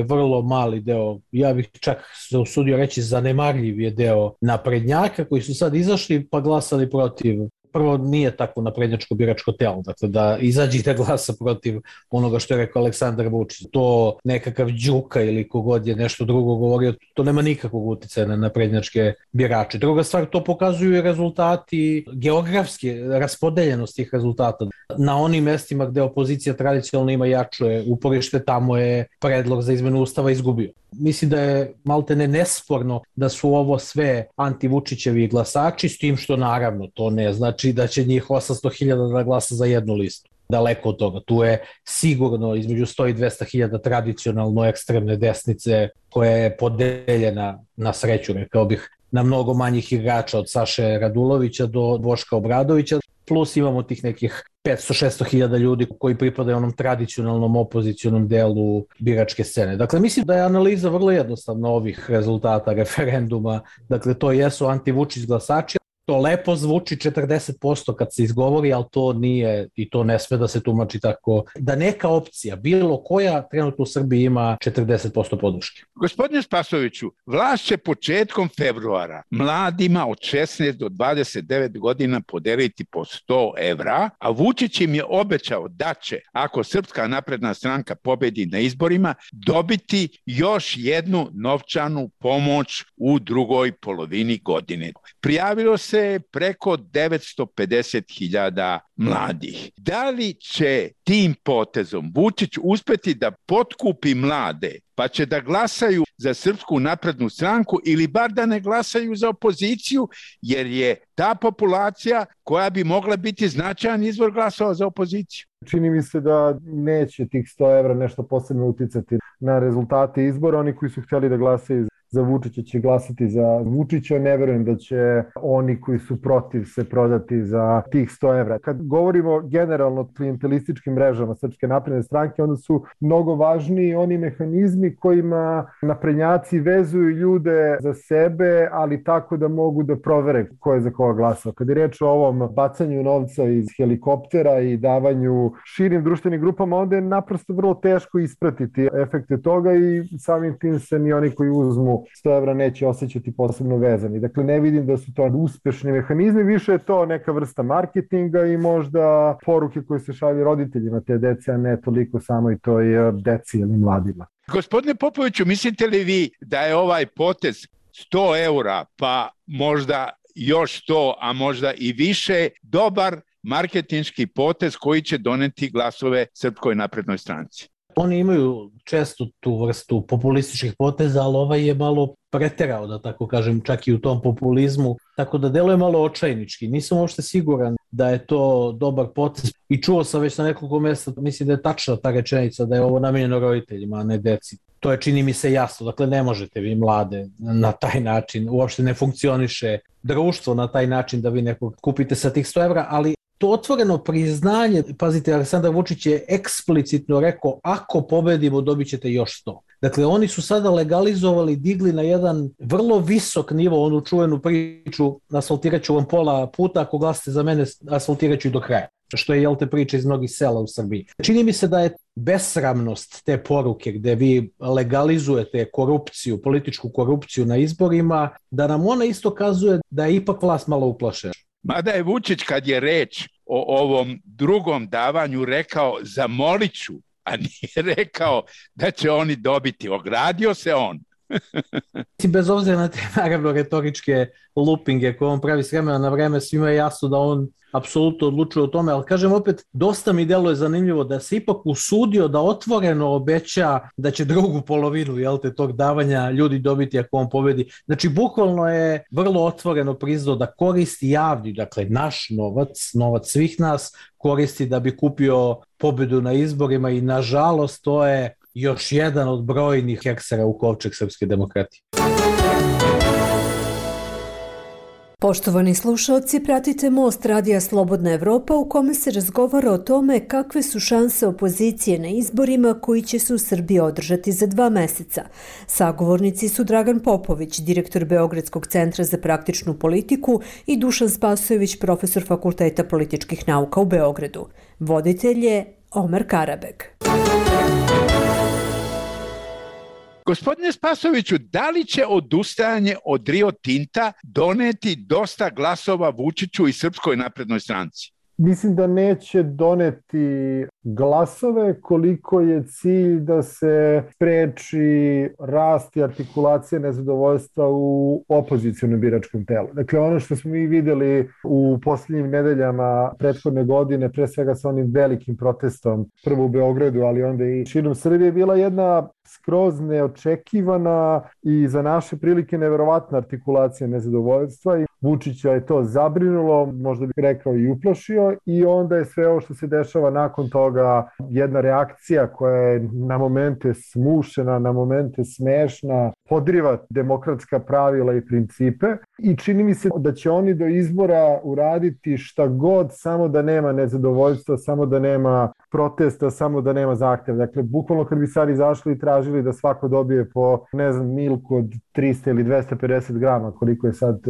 Vrlo mali deo. Ja bih čak se usudio reći zanemarljiv je deo naprednjaka koji su sad izašli pa glasali protiv. Prvo, nije takvo naprednjačko biračko telo, dakle da izađe da glasa protiv onoga što je rekao Aleksandar Vučić. To nekakav Đuka ili kogod je nešto drugo govorio, to nema nikakvog uticaja na naprednjačke birače. Druga stvar, to pokazuju i rezultati geografske raspodeljenosti tih rezultata. Na onim mestima gde opozicija tradicionalno ima jače uporište, tamo je predlog za izmenu ustava izgubio. Mislim da je maltene nesporno da su ovo sve anti-Vučićevi glasači, s tim što naravno to ne znači da će njih 800.000 da glasa za jednu listu. Daleko od toga. Tu je sigurno između 100 i 200.000 tradicionalno ekstremne desnice koja je podeljena na sreću, rekao bih, na mnogo manjih igrača od Saše Radulovića do Boška Obradovića. Plus imamo tih nekih 500-600.000 ljudi koji pripadaju onom tradicionalnom opozicionom delu biračke scene. Dakle, mislim da je analiza vrlo jednostavna ovih rezultata referenduma. Dakle, to jesu anti-Vučić glasači. To lepo zvuči 40% kad se izgovori, ali to nije i to ne sme da se tumači tako. Da neka opcija, bilo koja, trenutno u Srbiji ima 40% podrške. Gospodine Spasoviću, vlast će početkom februara mladima od 16 do 29 godina podeliti po 100 evra, a Vučić im je obećao da će, ako Srpska napredna stranka pobedi na izborima, dobiti još jednu novčanu pomoć u drugoj polovini godine. Prijavilo se preko 950.000 mladih. Da li će tim potezom Vučić uspeti da potkupi mlade pa će da glasaju za Srpsku naprednu stranku ili bar da ne glasaju za opoziciju, jer je ta populacija koja bi mogla biti značajan izvor glasova za opoziciju? Čini mi se da neće tih 100 evra nešto posebno uticati na rezultate izbora. Oni koji su htjeli da glasaju za Vučića će glasati za Vučića. Ne verujem da će oni koji su protiv se prodati za tih 100 evra. Kad govorimo generalno o klijentelističkim mrežama Srpske napredne stranke, onda su mnogo važniji oni mehanizmi kojima naprednjaci vezuju ljude za sebe, ali tako da mogu da provere ko je za koga glasao. Kad je reč o ovom bacanju novca iz helikoptera i davanju širim društvenim grupama, onda je naprosto vrlo teško ispratiti efekte toga i samim tim se ni oni koji uzmu 100 evra neće osjećati posebno vezani. Dakle, ne vidim da su to uspešni mehanizmi, više je to neka vrsta marketinga i možda poruke koje se šalju roditeljima te dece, a ne toliko samo i toj deci ili mladima. Gospodine Popoviću, mislite li vi da je ovaj potez 100 eura, pa možda još 100, a možda i više, dobar marketinški potez koji će doneti glasove Srpskoj naprednoj stranci? Oni imaju često tu vrstu populističkih poteza, ali ovaj je malo preterao, da tako kažem, čak i u tom populizmu, tako da deluje malo očajnički. Nisam uopšte siguran da je to dobar potez i čuo sam već na nekoliko mjesta, mislim da je tačna ta rečenica da je ovo namijenjeno roditeljima, a ne deci. To je, čini mi se, jasno, dakle ne možete vi mlade na taj način, uopšte ne funkcioniše društvo na taj način da vi nekog kupite sa tih 100 evra, ali to otvoreno priznanje, pazite, Aleksandar Vučić je eksplicitno rekao, ako pobedimo dobit ćete još 100. Dakle, oni su sada legalizovali, digli na jedan vrlo visok nivo onu čuvenu priču, asfaltirat ću vam pola puta, ako glasite za mene, asfaltirat ću i do kraja. Što je, jel te, priča iz mnogih sela u Srbiji. Čini mi se da je besramnost te poruke gde vi legalizujete korupciju, političku korupciju na izborima, da nam ona isto kazuje da je ipak vlast malo uplašena. Mada je Vučić, kad je reč o ovom drugom davanju, rekao zamolit ću, a nije rekao da će oni dobiti. Ogradio se on. Bez obzira na te, naravno, retoričke lupinge koje on pravi s vremena na vreme, svima je jasno da on apsolutno odlučuje o tome, ali kažem opet, dosta mi deluje zanimljivo da se ipak usudio da otvoreno obeća da će drugu polovinu, jel te, tog davanja ljudi dobiti ako on pobedi. Znači, bukvalno je vrlo otvoreno priznao da koristi javni, dakle, naš novac, novac svih nas, koristi da bi kupio pobedu na izborima i, nažalost, to je još jedan od brojnih heksera u kovčeg srpske demokratije. Poštovani slušalci, pratite Most Radija Slobodna Evropa u kome se razgovara o tome kakve su šanse opozicije na izborima koji će se u Srbiji održati za 2 meseca. Sagovornici su Dragan Popović, direktor Beogradskog centra za praktičnu politiku, i Dušan Spasojević, profesor Fakulteta političkih nauka u Beogradu. Voditelj je Omer Karabeg. Gospodine Spasoviću, da li će odustajanje od Rio Tinta doneti dosta glasova Vučiću i Srpskoj naprednoj stranci? Mislim da neće doneti glasove koliko je cilj da se spreči rast i artikulacija nezadovoljstva u opozicionom biračkom telu. Dakle, ono što smo mi videli u posljednjim nedeljama prethodne godine, pre svega sa onim velikim protestom, prvo u Beogradu, ali onda i širom Srbije, bila jedna skroz neočekivana i za naše prilike neverovatna artikulacija nezadovoljstva i Vučića je to zabrinulo, možda bih rekao i uplašio, i onda je sve ovo što se dešava nakon toga jedna reakcija koja je na momente smušena, na momente smešna, podriva demokratska pravila i principe, i čini mi se da će oni do izbora uraditi šta god, samo da nema nezadovoljstva, samo da nema protesta, samo da nema zahtjeva. Dakle, bukvalno kad bi sad izašli i tražili da svako dobije po, ne znam, milku od 300 ili 250 grama, koliko je sad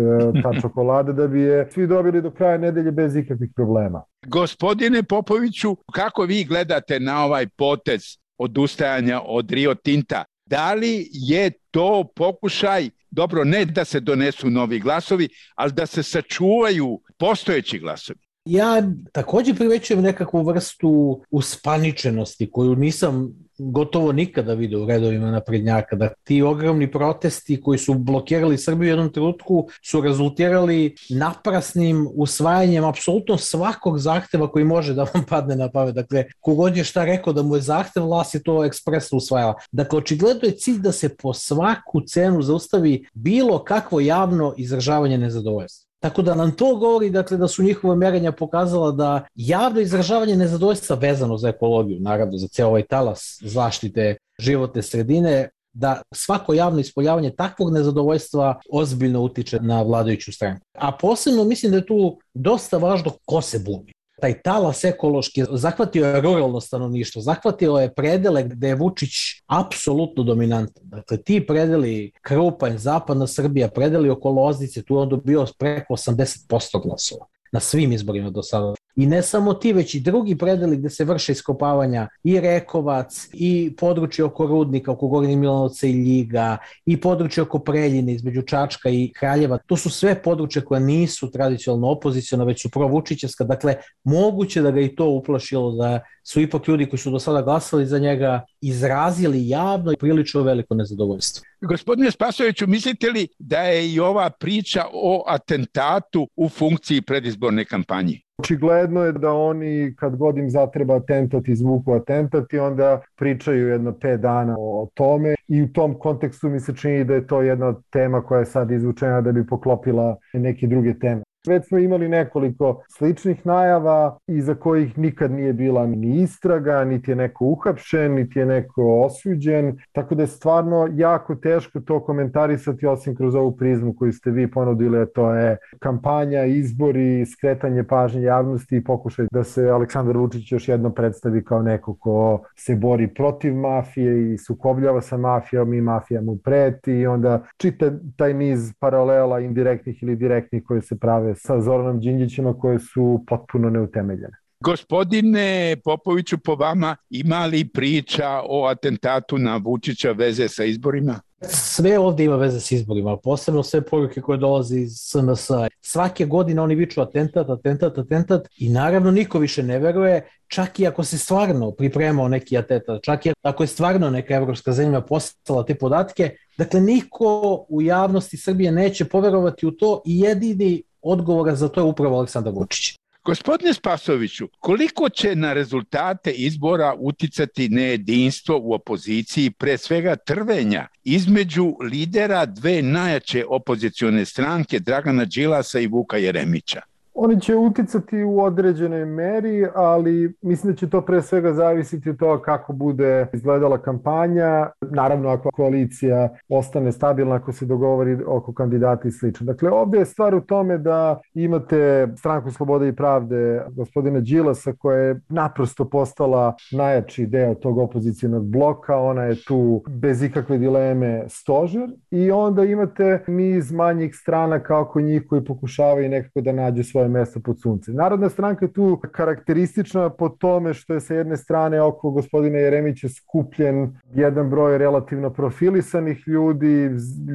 ta čokolada, da bi je svi dobili do kraja nedelje bez ikakvih problema. Gospodine Popoviću, kako vi gledate na ovaj potez odustajanja od Rio Tinta? Da li je to pokušaj, dobro, ne da se donesu novi glasovi, ali da se sačuvaju postojeći glasovi? Ja također primećujem nekakvu vrstu uspaničenosti koju nisam gotovo nikada vidio u redovima naprednjaka, da ti ogromni protesti koji su blokirali Srbiju u jednom trenutku su rezultirali naprasnim usvajanjem apsolutno svakog zahteva koji može da vam padne na pamet. Dakle, kogod je šta rekao da mu je zahtev, vlast je to ekspresno usvajala. Dakle, očigledno je cilj da se po svaku cenu zaustavi bilo kakvo javno izražavanje nezadovoljstva. Tako da nam to govori, dakle, da su njihova merenja pokazala da javno izražavanje nezadovoljstva vezano za ekologiju, naravno za ceo ovaj talas zaštite životne sredine, da svako javno ispoljavanje takvog nezadovoljstva ozbiljno utiče na vladajuću stranku. A posebno mislim da je tu dosta važno ko se buni. Taj talas ekološki zahvatio je ruralno stanovništvo, zahvatio je predele gde je Vučić apsolutno dominantan. Dakle, ti predeli Krupanj, zapadna Srbija, predeli oko Loznice, tu je on dobio preko 80% glasova na svim izborima do sada. I ne samo ti, već i drugi predeli gde se vrše iskopavanja, i Rekovac, i područje oko Rudnika, oko Gornjeg Milanovca i Ljiga, i područje oko Preljine između Čačka i Kraljeva. To su sve područje koje nisu tradicionalno opoziciona, već su provučićevska. Dakle, moguće da ga i to uplašilo, da su ipak ljudi koji su do sada glasali za njega izrazili javno i prilično veliko nezadovoljstvo. Gospodine Spasojeviću, mislite li da je i ova priča o atentatu u funkciji predizborne kampanje? Očigledno je da oni kad god im zatreba atentat, izvuku atentat i onda pričaju jedno 5 dana o tome i u tom kontekstu mi se čini da je to jedna od tema koja je sad izvučena da bi poklopila neke druge teme. Već smo imali nekoliko sličnih najava iza kojih nikad nije bila ni istraga, niti je neko uhapšen, niti je neko osuđen, tako da je stvarno jako teško to komentarisati osim kroz ovu prizmu koju ste vi ponudili, a to je kampanja, izbori, skretanje pažnje javnosti i pokušaj da se Aleksandar Vučić još jednom predstavi kao neko ko se bori protiv mafije i sukobljava sa mafijom i mafija mu preti i onda čita taj niz paralela indirektnih ili direktnih koje se prave sa Zoranom Đinđićima koje su potpuno neutemeljene. Gospodine Popoviću, po vama ima li priča o atentatu na Vučića veze sa izborima? Sve ovdje ima veze s izborima, posebno sve poruke koje dolaze iz SNS. Svake godine oni viču atentat i naravno niko više ne veruje, čak i ako se stvarno pripremao neki atentat, čak i ako je stvarno neka evropska zemlja poslala te podatke, dakle niko u javnosti Srbije neće poverovati u to i jedini odgovor za to je upravo Aleksandar Vučić. Gospodine Spasoviću, koliko će na rezultate izbora uticati nejedinstvo u opoziciji, pre svega trvenja između lidera dve najjače opozicione stranke, Dragana Đilasa i Vuka Jeremića? Oni će uticati u određenoj meri, ali mislim da će to pre svega zavisiti od toga kako bude izgledala kampanja. Naravno, ako koalicija ostane stabilna, ako se dogovori oko kandidata i slično. Dakle, ovdje je stvar u tome da imate Stranku slobode i pravde gospodina Đilasa koja je naprosto postala najjači deo tog opozicionog bloka. Ona je tu bez ikakve dileme stožer i onda imate niz manjih stranaka oko njih koji pokušavaju nekako da nađu svoje mesto pod suncem. Narodna stranka je tu karakteristična po tome što je sa jedne strane oko gospodina Jeremića skupljen jedan broj relativno profilisanih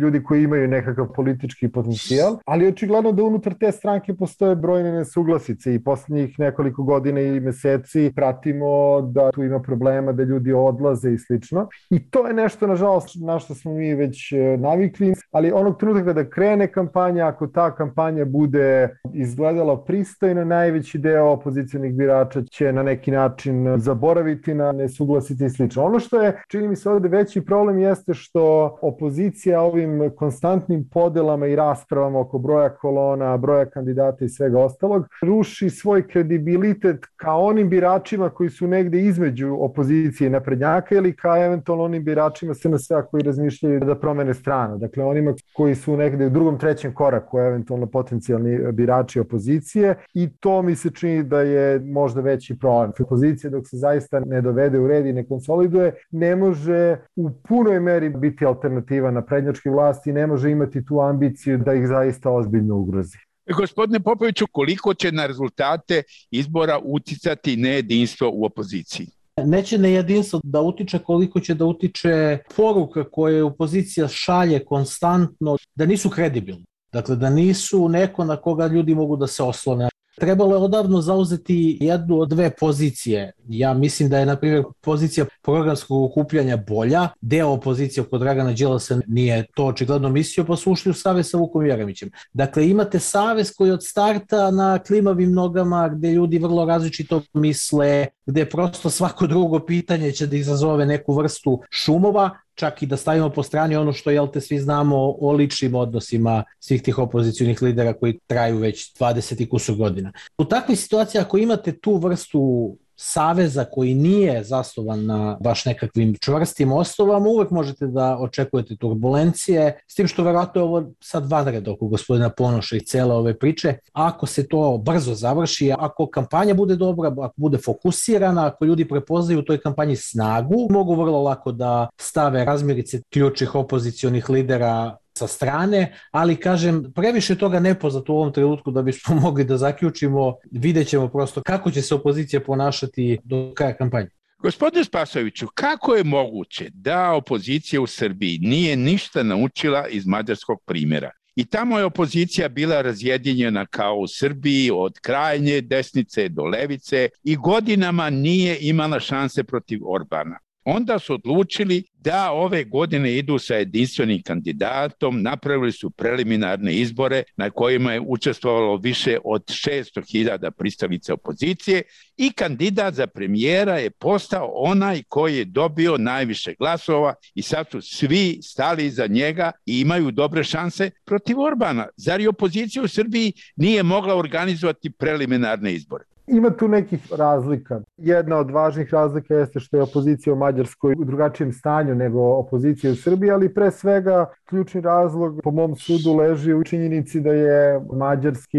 ljudi koji imaju nekakav politički potencijal, ali očigledno da unutar te stranke postoje brojne nesuglasice i posljednjih nekoliko godina i meseci pratimo da tu ima problema, da ljudi odlaze i slično. I to je nešto, nažalost, na što smo mi već navikli, ali onog trenutka kada krene kampanja, ako ta kampanja bude izgledala pristojno, najveći deo opozicionih birača će na neki način zaboraviti na nesuglasice i slično. Ono što je, čini mi se ovdje veći problem jeste što opozicija ovim konstantnim podelama i raspravama oko broja kolona, broja kandidata i svega ostalog ruši svoj kredibilitet ka onim biračima koji su negde između opozicije i naprednjaka ili ka eventualno onim biračima SNS-a koji razmišljaju da promene stranu. Dakle, onima koji su negde u drugom, trećem koraku, eventualno potencijalni birači opozicije i to mi se čini da je možda veći problem. Opozicija dok se zaista ne dovede u red i ne konsoliduje, ne može u punoj meri biti alternativa na prednjačkoj vlasti i ne može imati tu ambiciju da ih zaista ozbiljno ugrozi. Gospodine Popoviću, koliko će na rezultate izbora uticati nejedinstvo u opoziciji? Neće nejedinstvo da utiče koliko će da utiče poruka koje opozicija šalje konstantno, da nisu kredibilni. Dakle, da nisu neko na koga ljudi mogu da se oslone. Trebalo je odavno zauzeti jednu od dve pozicije. Ja mislim da je, na primjer, pozicija programskog okupljanja bolja. Deo opozicije oko Dragana Đilasa nije to očigledno mislio, pa su ušli u savez sa Vukom Jeremićem. Dakle, imate savez koji od starta na klimavim nogama, gde ljudi vrlo različito misle, gde prosto svako drugo pitanje će da izazove neku vrstu šumova, čak i da stavimo po strani ono što, svi znamo o ličnim odnosima svih tih opozicionih lidera koji traju već 20 i kusur godina. U takvoj situaciji, ako imate tu vrstu saveza koji nije zasnovan na baš nekakvim čvrstim osnovama, uvek možete da očekujete turbulencije, s tim što verovatno je ovo sad vanred oko gospodina Ponoša i cele ove priče. Ako se to brzo završi, ako kampanja bude dobra, ako bude fokusirana, ako ljudi prepoznaju u toj kampanji snagu, mogu vrlo lako da stave razmirice ključnih opozicionih lidera sa strane, ali kažem, previše toga nepoznato u ovom trenutku da bismo mogli da zaključimo. Vidjet ćemo prosto kako će se opozicija ponašati do kraja kampanje. Gospodine Spasoviću, kako je moguće da opozicija u Srbiji nije ništa naučila iz mađarskog primjera? I tamo je opozicija bila razjedinjena kao u Srbiji od krajnje desnice do levice i godinama nije imala šanse protiv Orbana. onda su odlučili da ove godine idu sa jedinstvenim kandidatom, napravili su preliminarne izbore na kojima je učestvovalo više od 600.000 pristalica opozicije i kandidat za premijera je postao onaj koji je dobio najviše glasova i sad su svi stali iza njega i imaju dobre šanse protiv Orbana. Zar i opozicija u Srbiji nije mogla organizovati preliminarne izbore? Ima tu nekih razlika. Jedna od važnih razlika jeste što je opozicija u Mađarskoj u drugačijem stanju nego opozicija u Srbiji, ali pre svega ključni razlog po mom sudu leži u činjenici da je mađarski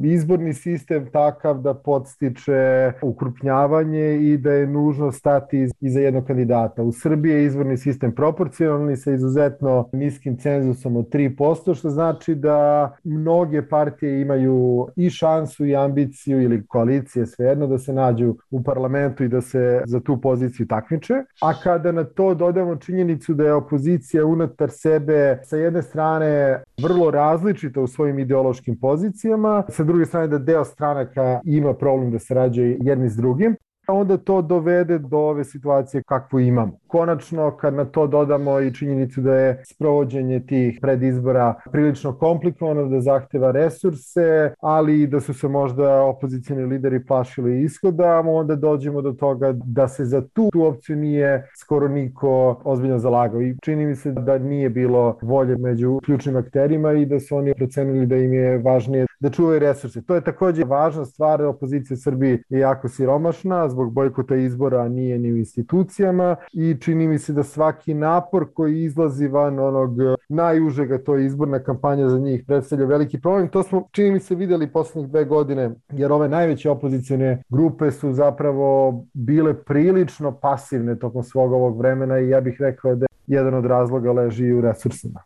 izborni sistem takav da podstiče ukrupnjavanje i da je nužno stati iza jednog kandidata. U Srbiji je izborni sistem proporcionalni sa izuzetno niskim cenzusom od 3%, što znači da mnoge partije imaju i šansu i ambiciju ili koaliciju, svejedno, da se nađu u parlamentu i da se za tu poziciju takmiče. A kada na to dodamo činjenicu da je opozicija unutar sebe sa jedne strane vrlo različita u svojim ideološkim pozicijama, sa druge strane da deo stranaka ima problem da sarađuje jedni s drugim, onda to dovede do ove situacije kakvu imamo. Konačno, kad na to dodamo i činjenicu da je sprovođenje tih predizbora prilično komplikovano, da zahteva resurse, ali i da su se možda opozicioni lideri plašili ishoda, onda dođemo do toga da se za tu opciju nije skoro niko ozbiljno zalagao. I čini mi se da nije bilo volje među ključnim akterima i da su oni procenili da im je važnije da čuvaju resurse. To je također važna stvar. Opozicija u Srbiji je jako siromašna, zbog bojkota izbora nije ni u institucijama i čini mi se da svaki napor koji izlazi van onog najužega, to je izborna kampanja za njih, predstavlja veliki problem. To smo, čini mi se, videli poslednjih 2 godine, jer ove najveće opozicione grupe su zapravo bile prilično pasivne tokom svog ovog vremena i ja bih rekao da jedan od razloga leži u resursima.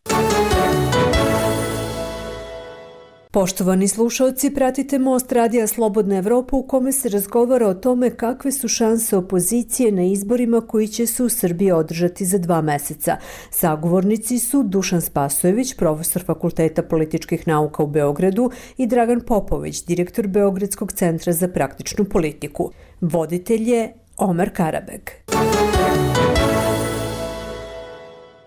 Poštovani slušalci, pratite Most Radija Slobodna Evropa u kome se razgovara o tome kakve su šanse opozicije na izborima koji će se u Srbiji održati za 2 meseca. Sagovornici su Dušan Spasojević, profesor Fakulteta političkih nauka u Beogradu, i Dragan Popović, direktor Beogradskog centra za praktičnu politiku. Voditelj je Omer Karabeg.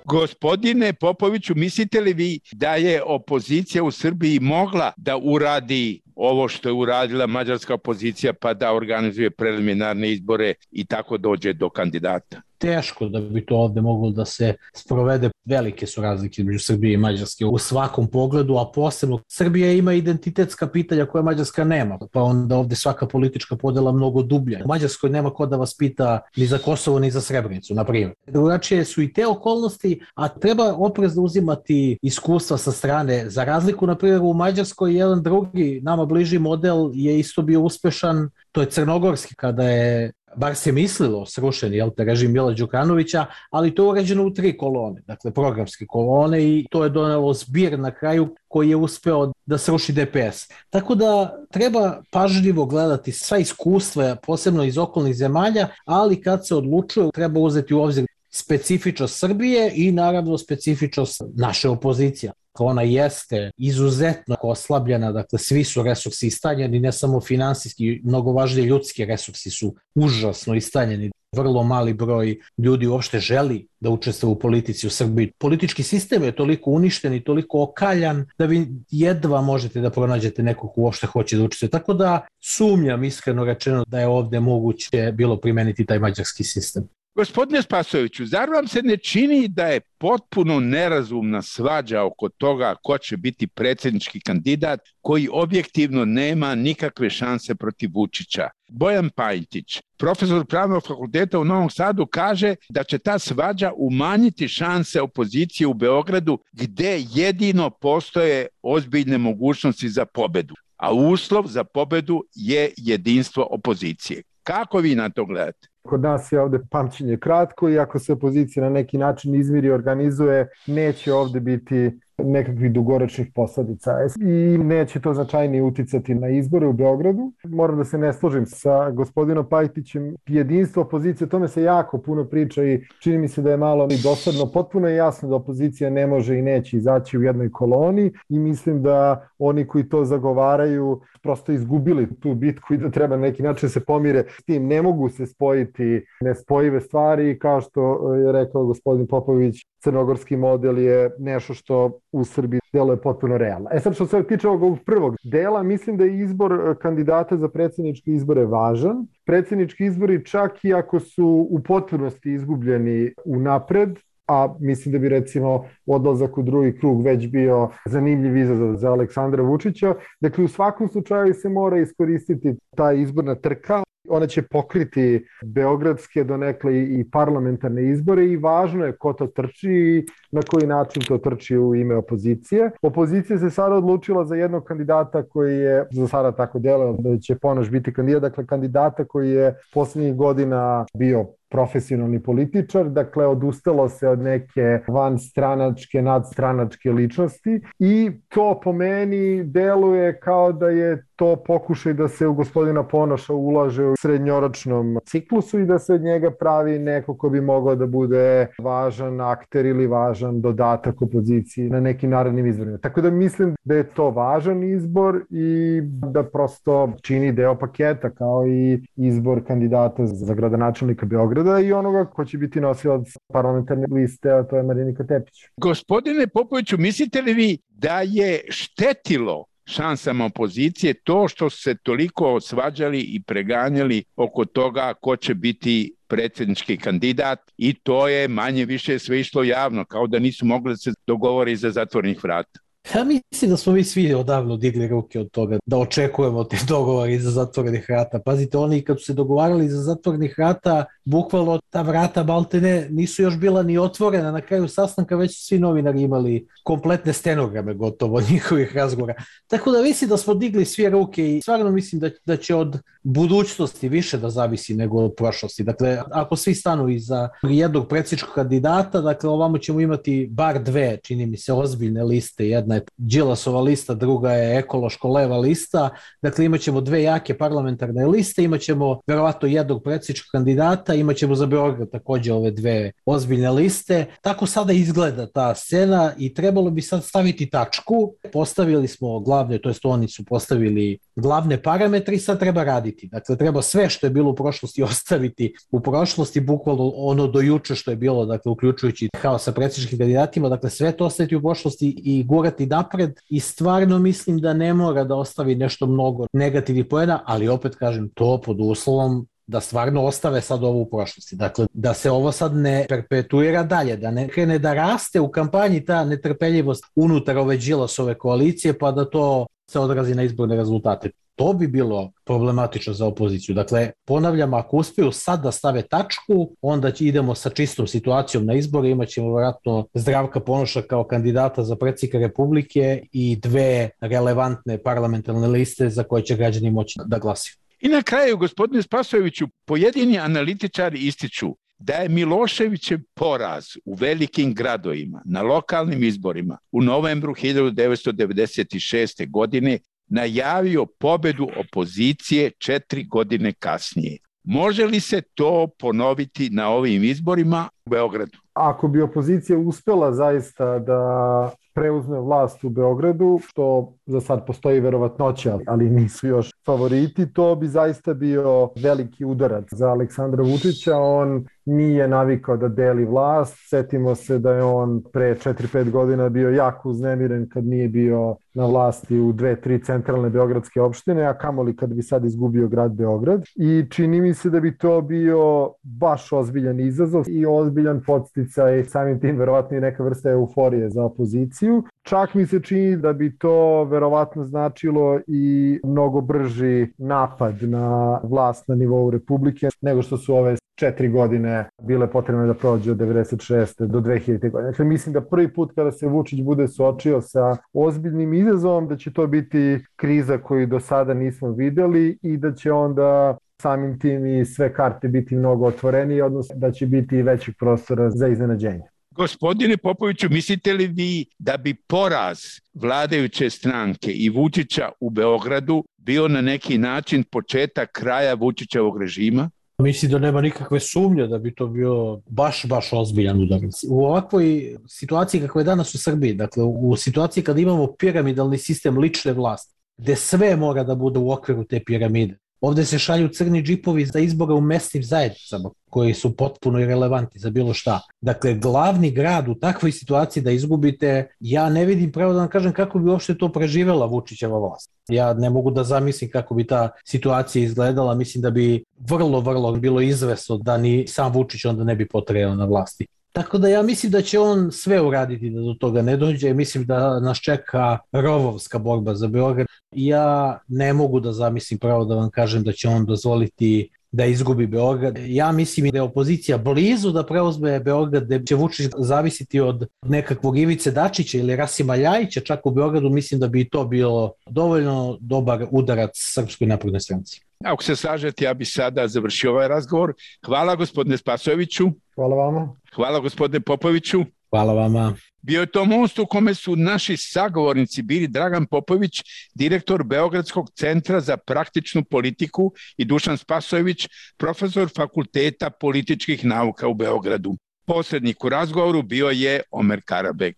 Gospodine Popoviću, mislite li vi da je opozicija u Srbiji mogla da uradi ovo što je uradila mađarska opozicija, pa da organizuje preliminarne izbore i tako dođe do kandidata? Teško da bi to ovde moglo da se sprovede. Velike su razlike između Srbije i Mađarske u svakom pogledu, a posebno Srbija ima identitetska pitanja koje Mađarska nema, pa onda ovde svaka politička podela mnogo dublja. U Mađarskoj nema ko da vas pita ni za Kosovo ni za Srebrenicu, na primjer. Drugačije su i te okolnosti, a treba oprezno uzimati iskustva sa strane. Za razliku, na primjer, u Mađarskoj jedan drugi nama bliži model je isto bio uspešan, to je crnogorski, kada je, bar se mislilo, srušen režim Mila Đukanovića, ali to je urađeno u 3 kolone, dakle programske kolone, i to je donelo zbir na kraju koji je uspeo da sruši DPS. Tako da treba pažljivo gledati sva iskustva, posebno iz okolnih zemalja, ali kad se odlučuje treba uzeti u obzir specifičnost Srbije i naravno specifičnost naše opozicije. Ona jeste izuzetno oslabljena, dakle svi su resursi istanjeni, ne samo finansijski, mnogo važnije ljudski resursi su užasno istanjeni. Vrlo mali broj ljudi uopšte želi da učestvuje u politici u Srbiji. Politički sistem je toliko uništen i toliko okaljan da vi jedva možete da pronađete nekog ko uopšte hoće da učestvuje. Tako da sumnjam, iskreno rečeno, da je ovde moguće bilo primeniti taj mađarski sistem. Gospodine Spasojeviću, zar vam se ne čini da je potpuno nerazumna svađa oko toga ko će biti predsjednički kandidat koji objektivno nema nikakve šanse protiv Vučića? Bojan Pajtić, profesor Pravnog fakulteta u Novom Sadu, kaže da će ta svađa umanjiti šanse opozicije u Beogradu, gde jedino postoje ozbiljne mogućnosti za pobedu, a uslov za pobedu je jedinstvo opozicije. Kako vi na to gledate? Kod nas je ovde pamćenje kratko i ako se opozicija na neki način izmiri i organizuje, neće ovde biti nekakvih dugoročnih posledica i neće to značajnije uticati na izbore u Beogradu. Moram da se ne složim sa gospodinom Pajtićem. Jedinstvo opozicije, o tome se jako puno priča i čini mi se da je malo i dosadno. Potpuno je jasno da opozicija ne može i neće izaći u jednoj koloni i mislim da oni koji to zagovaraju prosto izgubili tu bitku i da treba na neki način se pomire s tim. Ne mogu se spojiti spojiti nespojive stvari i kao što je rekao gospodin Popović, crnogorski model je nešto što u Srbiji deluje potpuno realno. Sad što se tiče ovog prvog dela, mislim da je izbor kandidata za predsjedničke izbore važan. Predsjednički izbori, čak i ako su u potpunosti izgubljeni unapred, a mislim da bi recimo odlazak u drugi krug već bio zanimljiv izazov za Aleksandra Vučića. Dakle, u svakom slučaju se mora iskoristiti ta izborna trka. Ona će pokriti beogradske donekle i parlamentarne izbore i važno je ko to trči i na koji način to trči u ime opozicije. Opozicija se sada odlučila za jednog kandidata koji je za sada tako delao da će Ponoš biti kandidat, dakle kandidata koji je poslednjih godina bio profesionalni političar, dakle odustalo se od neke vanstranačke, nadstranačke ličnosti i to po meni deluje kao da je to pokušaj da se u gospodina Ponoša ulaže u srednjoročnom ciklusu i da se od njega pravi neko ko bi mogao da bude važan akter ili važan dodatak opoziciji na nekim narednim izborima. Tako da mislim da je to važan izbor i da prosto čini deo paketa kao i izbor kandidata za gradonačelnika Beograda i onoga ko će biti nosilac parlamentarne liste, a to je Marinika Tepić. Gospodine Popoviću, mislite li vi da je štetilo šansama opozicije to što su se toliko svađali i preganjali oko toga ko će biti predsjednički kandidat i to je manje više sve išlo javno, kao da nisu mogli da se dogovore iza zatvorenih vrata? Ja mislim da smo mi svi odavno digli ruke od toga da očekujemo te dogovore iza zatvorenih vrata. Pazite, oni kad su se dogovarali iza zatvorenih vrata, bukvalno ta vrata maltene nisu još bila ni otvorena. Na kraju sastanka već su svi novinari imali kompletne stenograme gotovo od njihovih razgovora. Tako da mislim da smo digli svi ruke i stvarno mislim da će od budućnosti više da zavisi nego od prošlosti. Dakle, ako svi stanu iza jednog predsjedničkog kandidata, dakle ovamo ćemo imati bar dve, čini mi se, ozbiljne liste. Jedna je Đilasova lista, druga je ekološko-leva lista. Dakle, imat ćemo dve jake parlamentarne liste, imat ćemo verovatno jednog predsjedničkog kandidata, imat ćemo za Beograd također ove dve ozbiljne liste. Tako sada izgleda ta scena i trebalo bi sad staviti tačku. Postavili smo glavne, to jest oni su postavili glavne parametre i sad treba raditi. Dakle, treba sve što je bilo u prošlosti ostaviti u prošlosti, bukvalno ono do juče što je bilo, dakle, uključujući haos sa predsjedničkim kandidatima, dakle, sve to ostaviti u prošlosti i gurati napred i stvarno mislim da ne mora da ostavi nešto mnogo negativnih poena, ali opet kažem, to pod uslovom da stvarno ostave sad ovo u prošlosti. Dakle, da se ovo sad ne perpetuira dalje, da ne krene da raste u kampanji ta netrpeljivost unutar ove Đilasove koalicije, pa da to se odrazi na izborne rezultate. To bi bilo problematično za opoziciju. Dakle, ponavljam, ako uspiju sad da stave tačku, onda idemo sa čistom situacijom na izbore, imat ćemo vjerojatno Zdravka Ponoša kao kandidata za predsjednika Republike i dve relevantne parlamentarne liste za koje će građani moći da glasaju. I na kraju, gospodine Spasojeviću, pojedini analitičari ističu da je Miloševićev poraz u velikim gradovima na lokalnim izborima u novembru 1996. godine najavio pobedu opozicije 4 godine kasnije. Može li se to ponoviti na ovim izborima u Beogradu? Ako bi opozicija uspela zaista da preuzme vlast u Beogradu, što za sad postoji verovatnoća, ali nisu još favoriti, to bi zaista bio veliki udarac za Aleksandra Vučića. On nije navikao da deli vlast. Setimo se da je on pre 4-5 godina bio jako uznemiren kad nije bio na vlasti u 2-3 centralne beogradske opštine, a kamoli kad bi sad izgubio grad Beograd. I čini mi se da bi to bio baš ozbiljan izazov i ozbiljan podsticaj, samim tim verovatno i neka vrsta euforije za opoziciju. Čak mi se čini da bi to verovatno značilo i mnogo brži napad na vlast na nivou Republike nego što su ove 4 godine bile potrebne da prođe od 96. do 2000. godine. Dakle, mislim da prvi put kada se Vučić bude suočio sa ozbiljnim izazovom, da će to biti kriza koju do sada nismo videli i da će onda samim tim i sve karte biti mnogo otvorenije, odnosno da će biti većeg prostora za iznenađenje. Gospodine Popoviću, mislite li vi da bi poraz vladajuće stranke i Vučića u Beogradu bio na neki način početak kraja Vučićevog režima? Mislim da nema nikakve sumnje da bi to bio baš ozbiljan udarac. U ovakvoj situaciji kakva je danas u Srbiji, dakle u situaciji kada imamo piramidalni sistem lične vlasti, gde sve mora da bude u okviru te piramide, Ovde se šalju crni džipovi za izbore u mesnim zajednicama koji su potpuno irelevantni za bilo šta. Dakle, glavni grad u takvoj situaciji da izgubite, ja ne vidim, pravo da vam kažem, kako bi uopšte to preživela Vučićeva vlast. Ja ne mogu da zamislim kako bi ta situacija izgledala. Mislim da bi vrlo bilo izvesno da ni sam Vučić onda ne bi potrajao na vlasti. Tako da ja mislim da će on sve uraditi da do toga ne dođe. Mislim da nas čeka rovovska borba za Beograd. Ja ne mogu da zamislim, pravo da vam kažem, da će on dozvoliti da izgubi Beograd. Ja mislim da je opozicija blizu da preuzme Beograd, da će Vučić zavisiti od nekakvog Ivice Dačića ili Rasima Ljajića čak u Beogradu. Mislim da bi to bilo dovoljno dobar udarac Srpskoj naprednoj stranci. Ako se slažete, ja bih sada završio ovaj razgovor. Hvala gospodine Spasojeviću. Hvala vama. Hvala gospodine Popoviću. Hvala vama. Bio je to most u kome su naši sagovornici bili Dragan Popović, direktor Beogradskog centra za praktičnu politiku, i Dušan Spasojević, profesor Fakulteta političkih nauka u Beogradu. Posrednik u razgovoru bio je Omer Karabeg.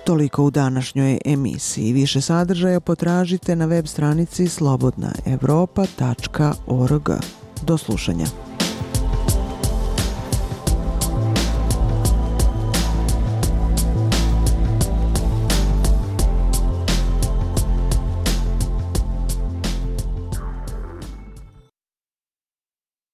Toliko u današnjoj emisiji. Više sadržaja potražite na web stranici slobodnaevropa.org. Do slušanja.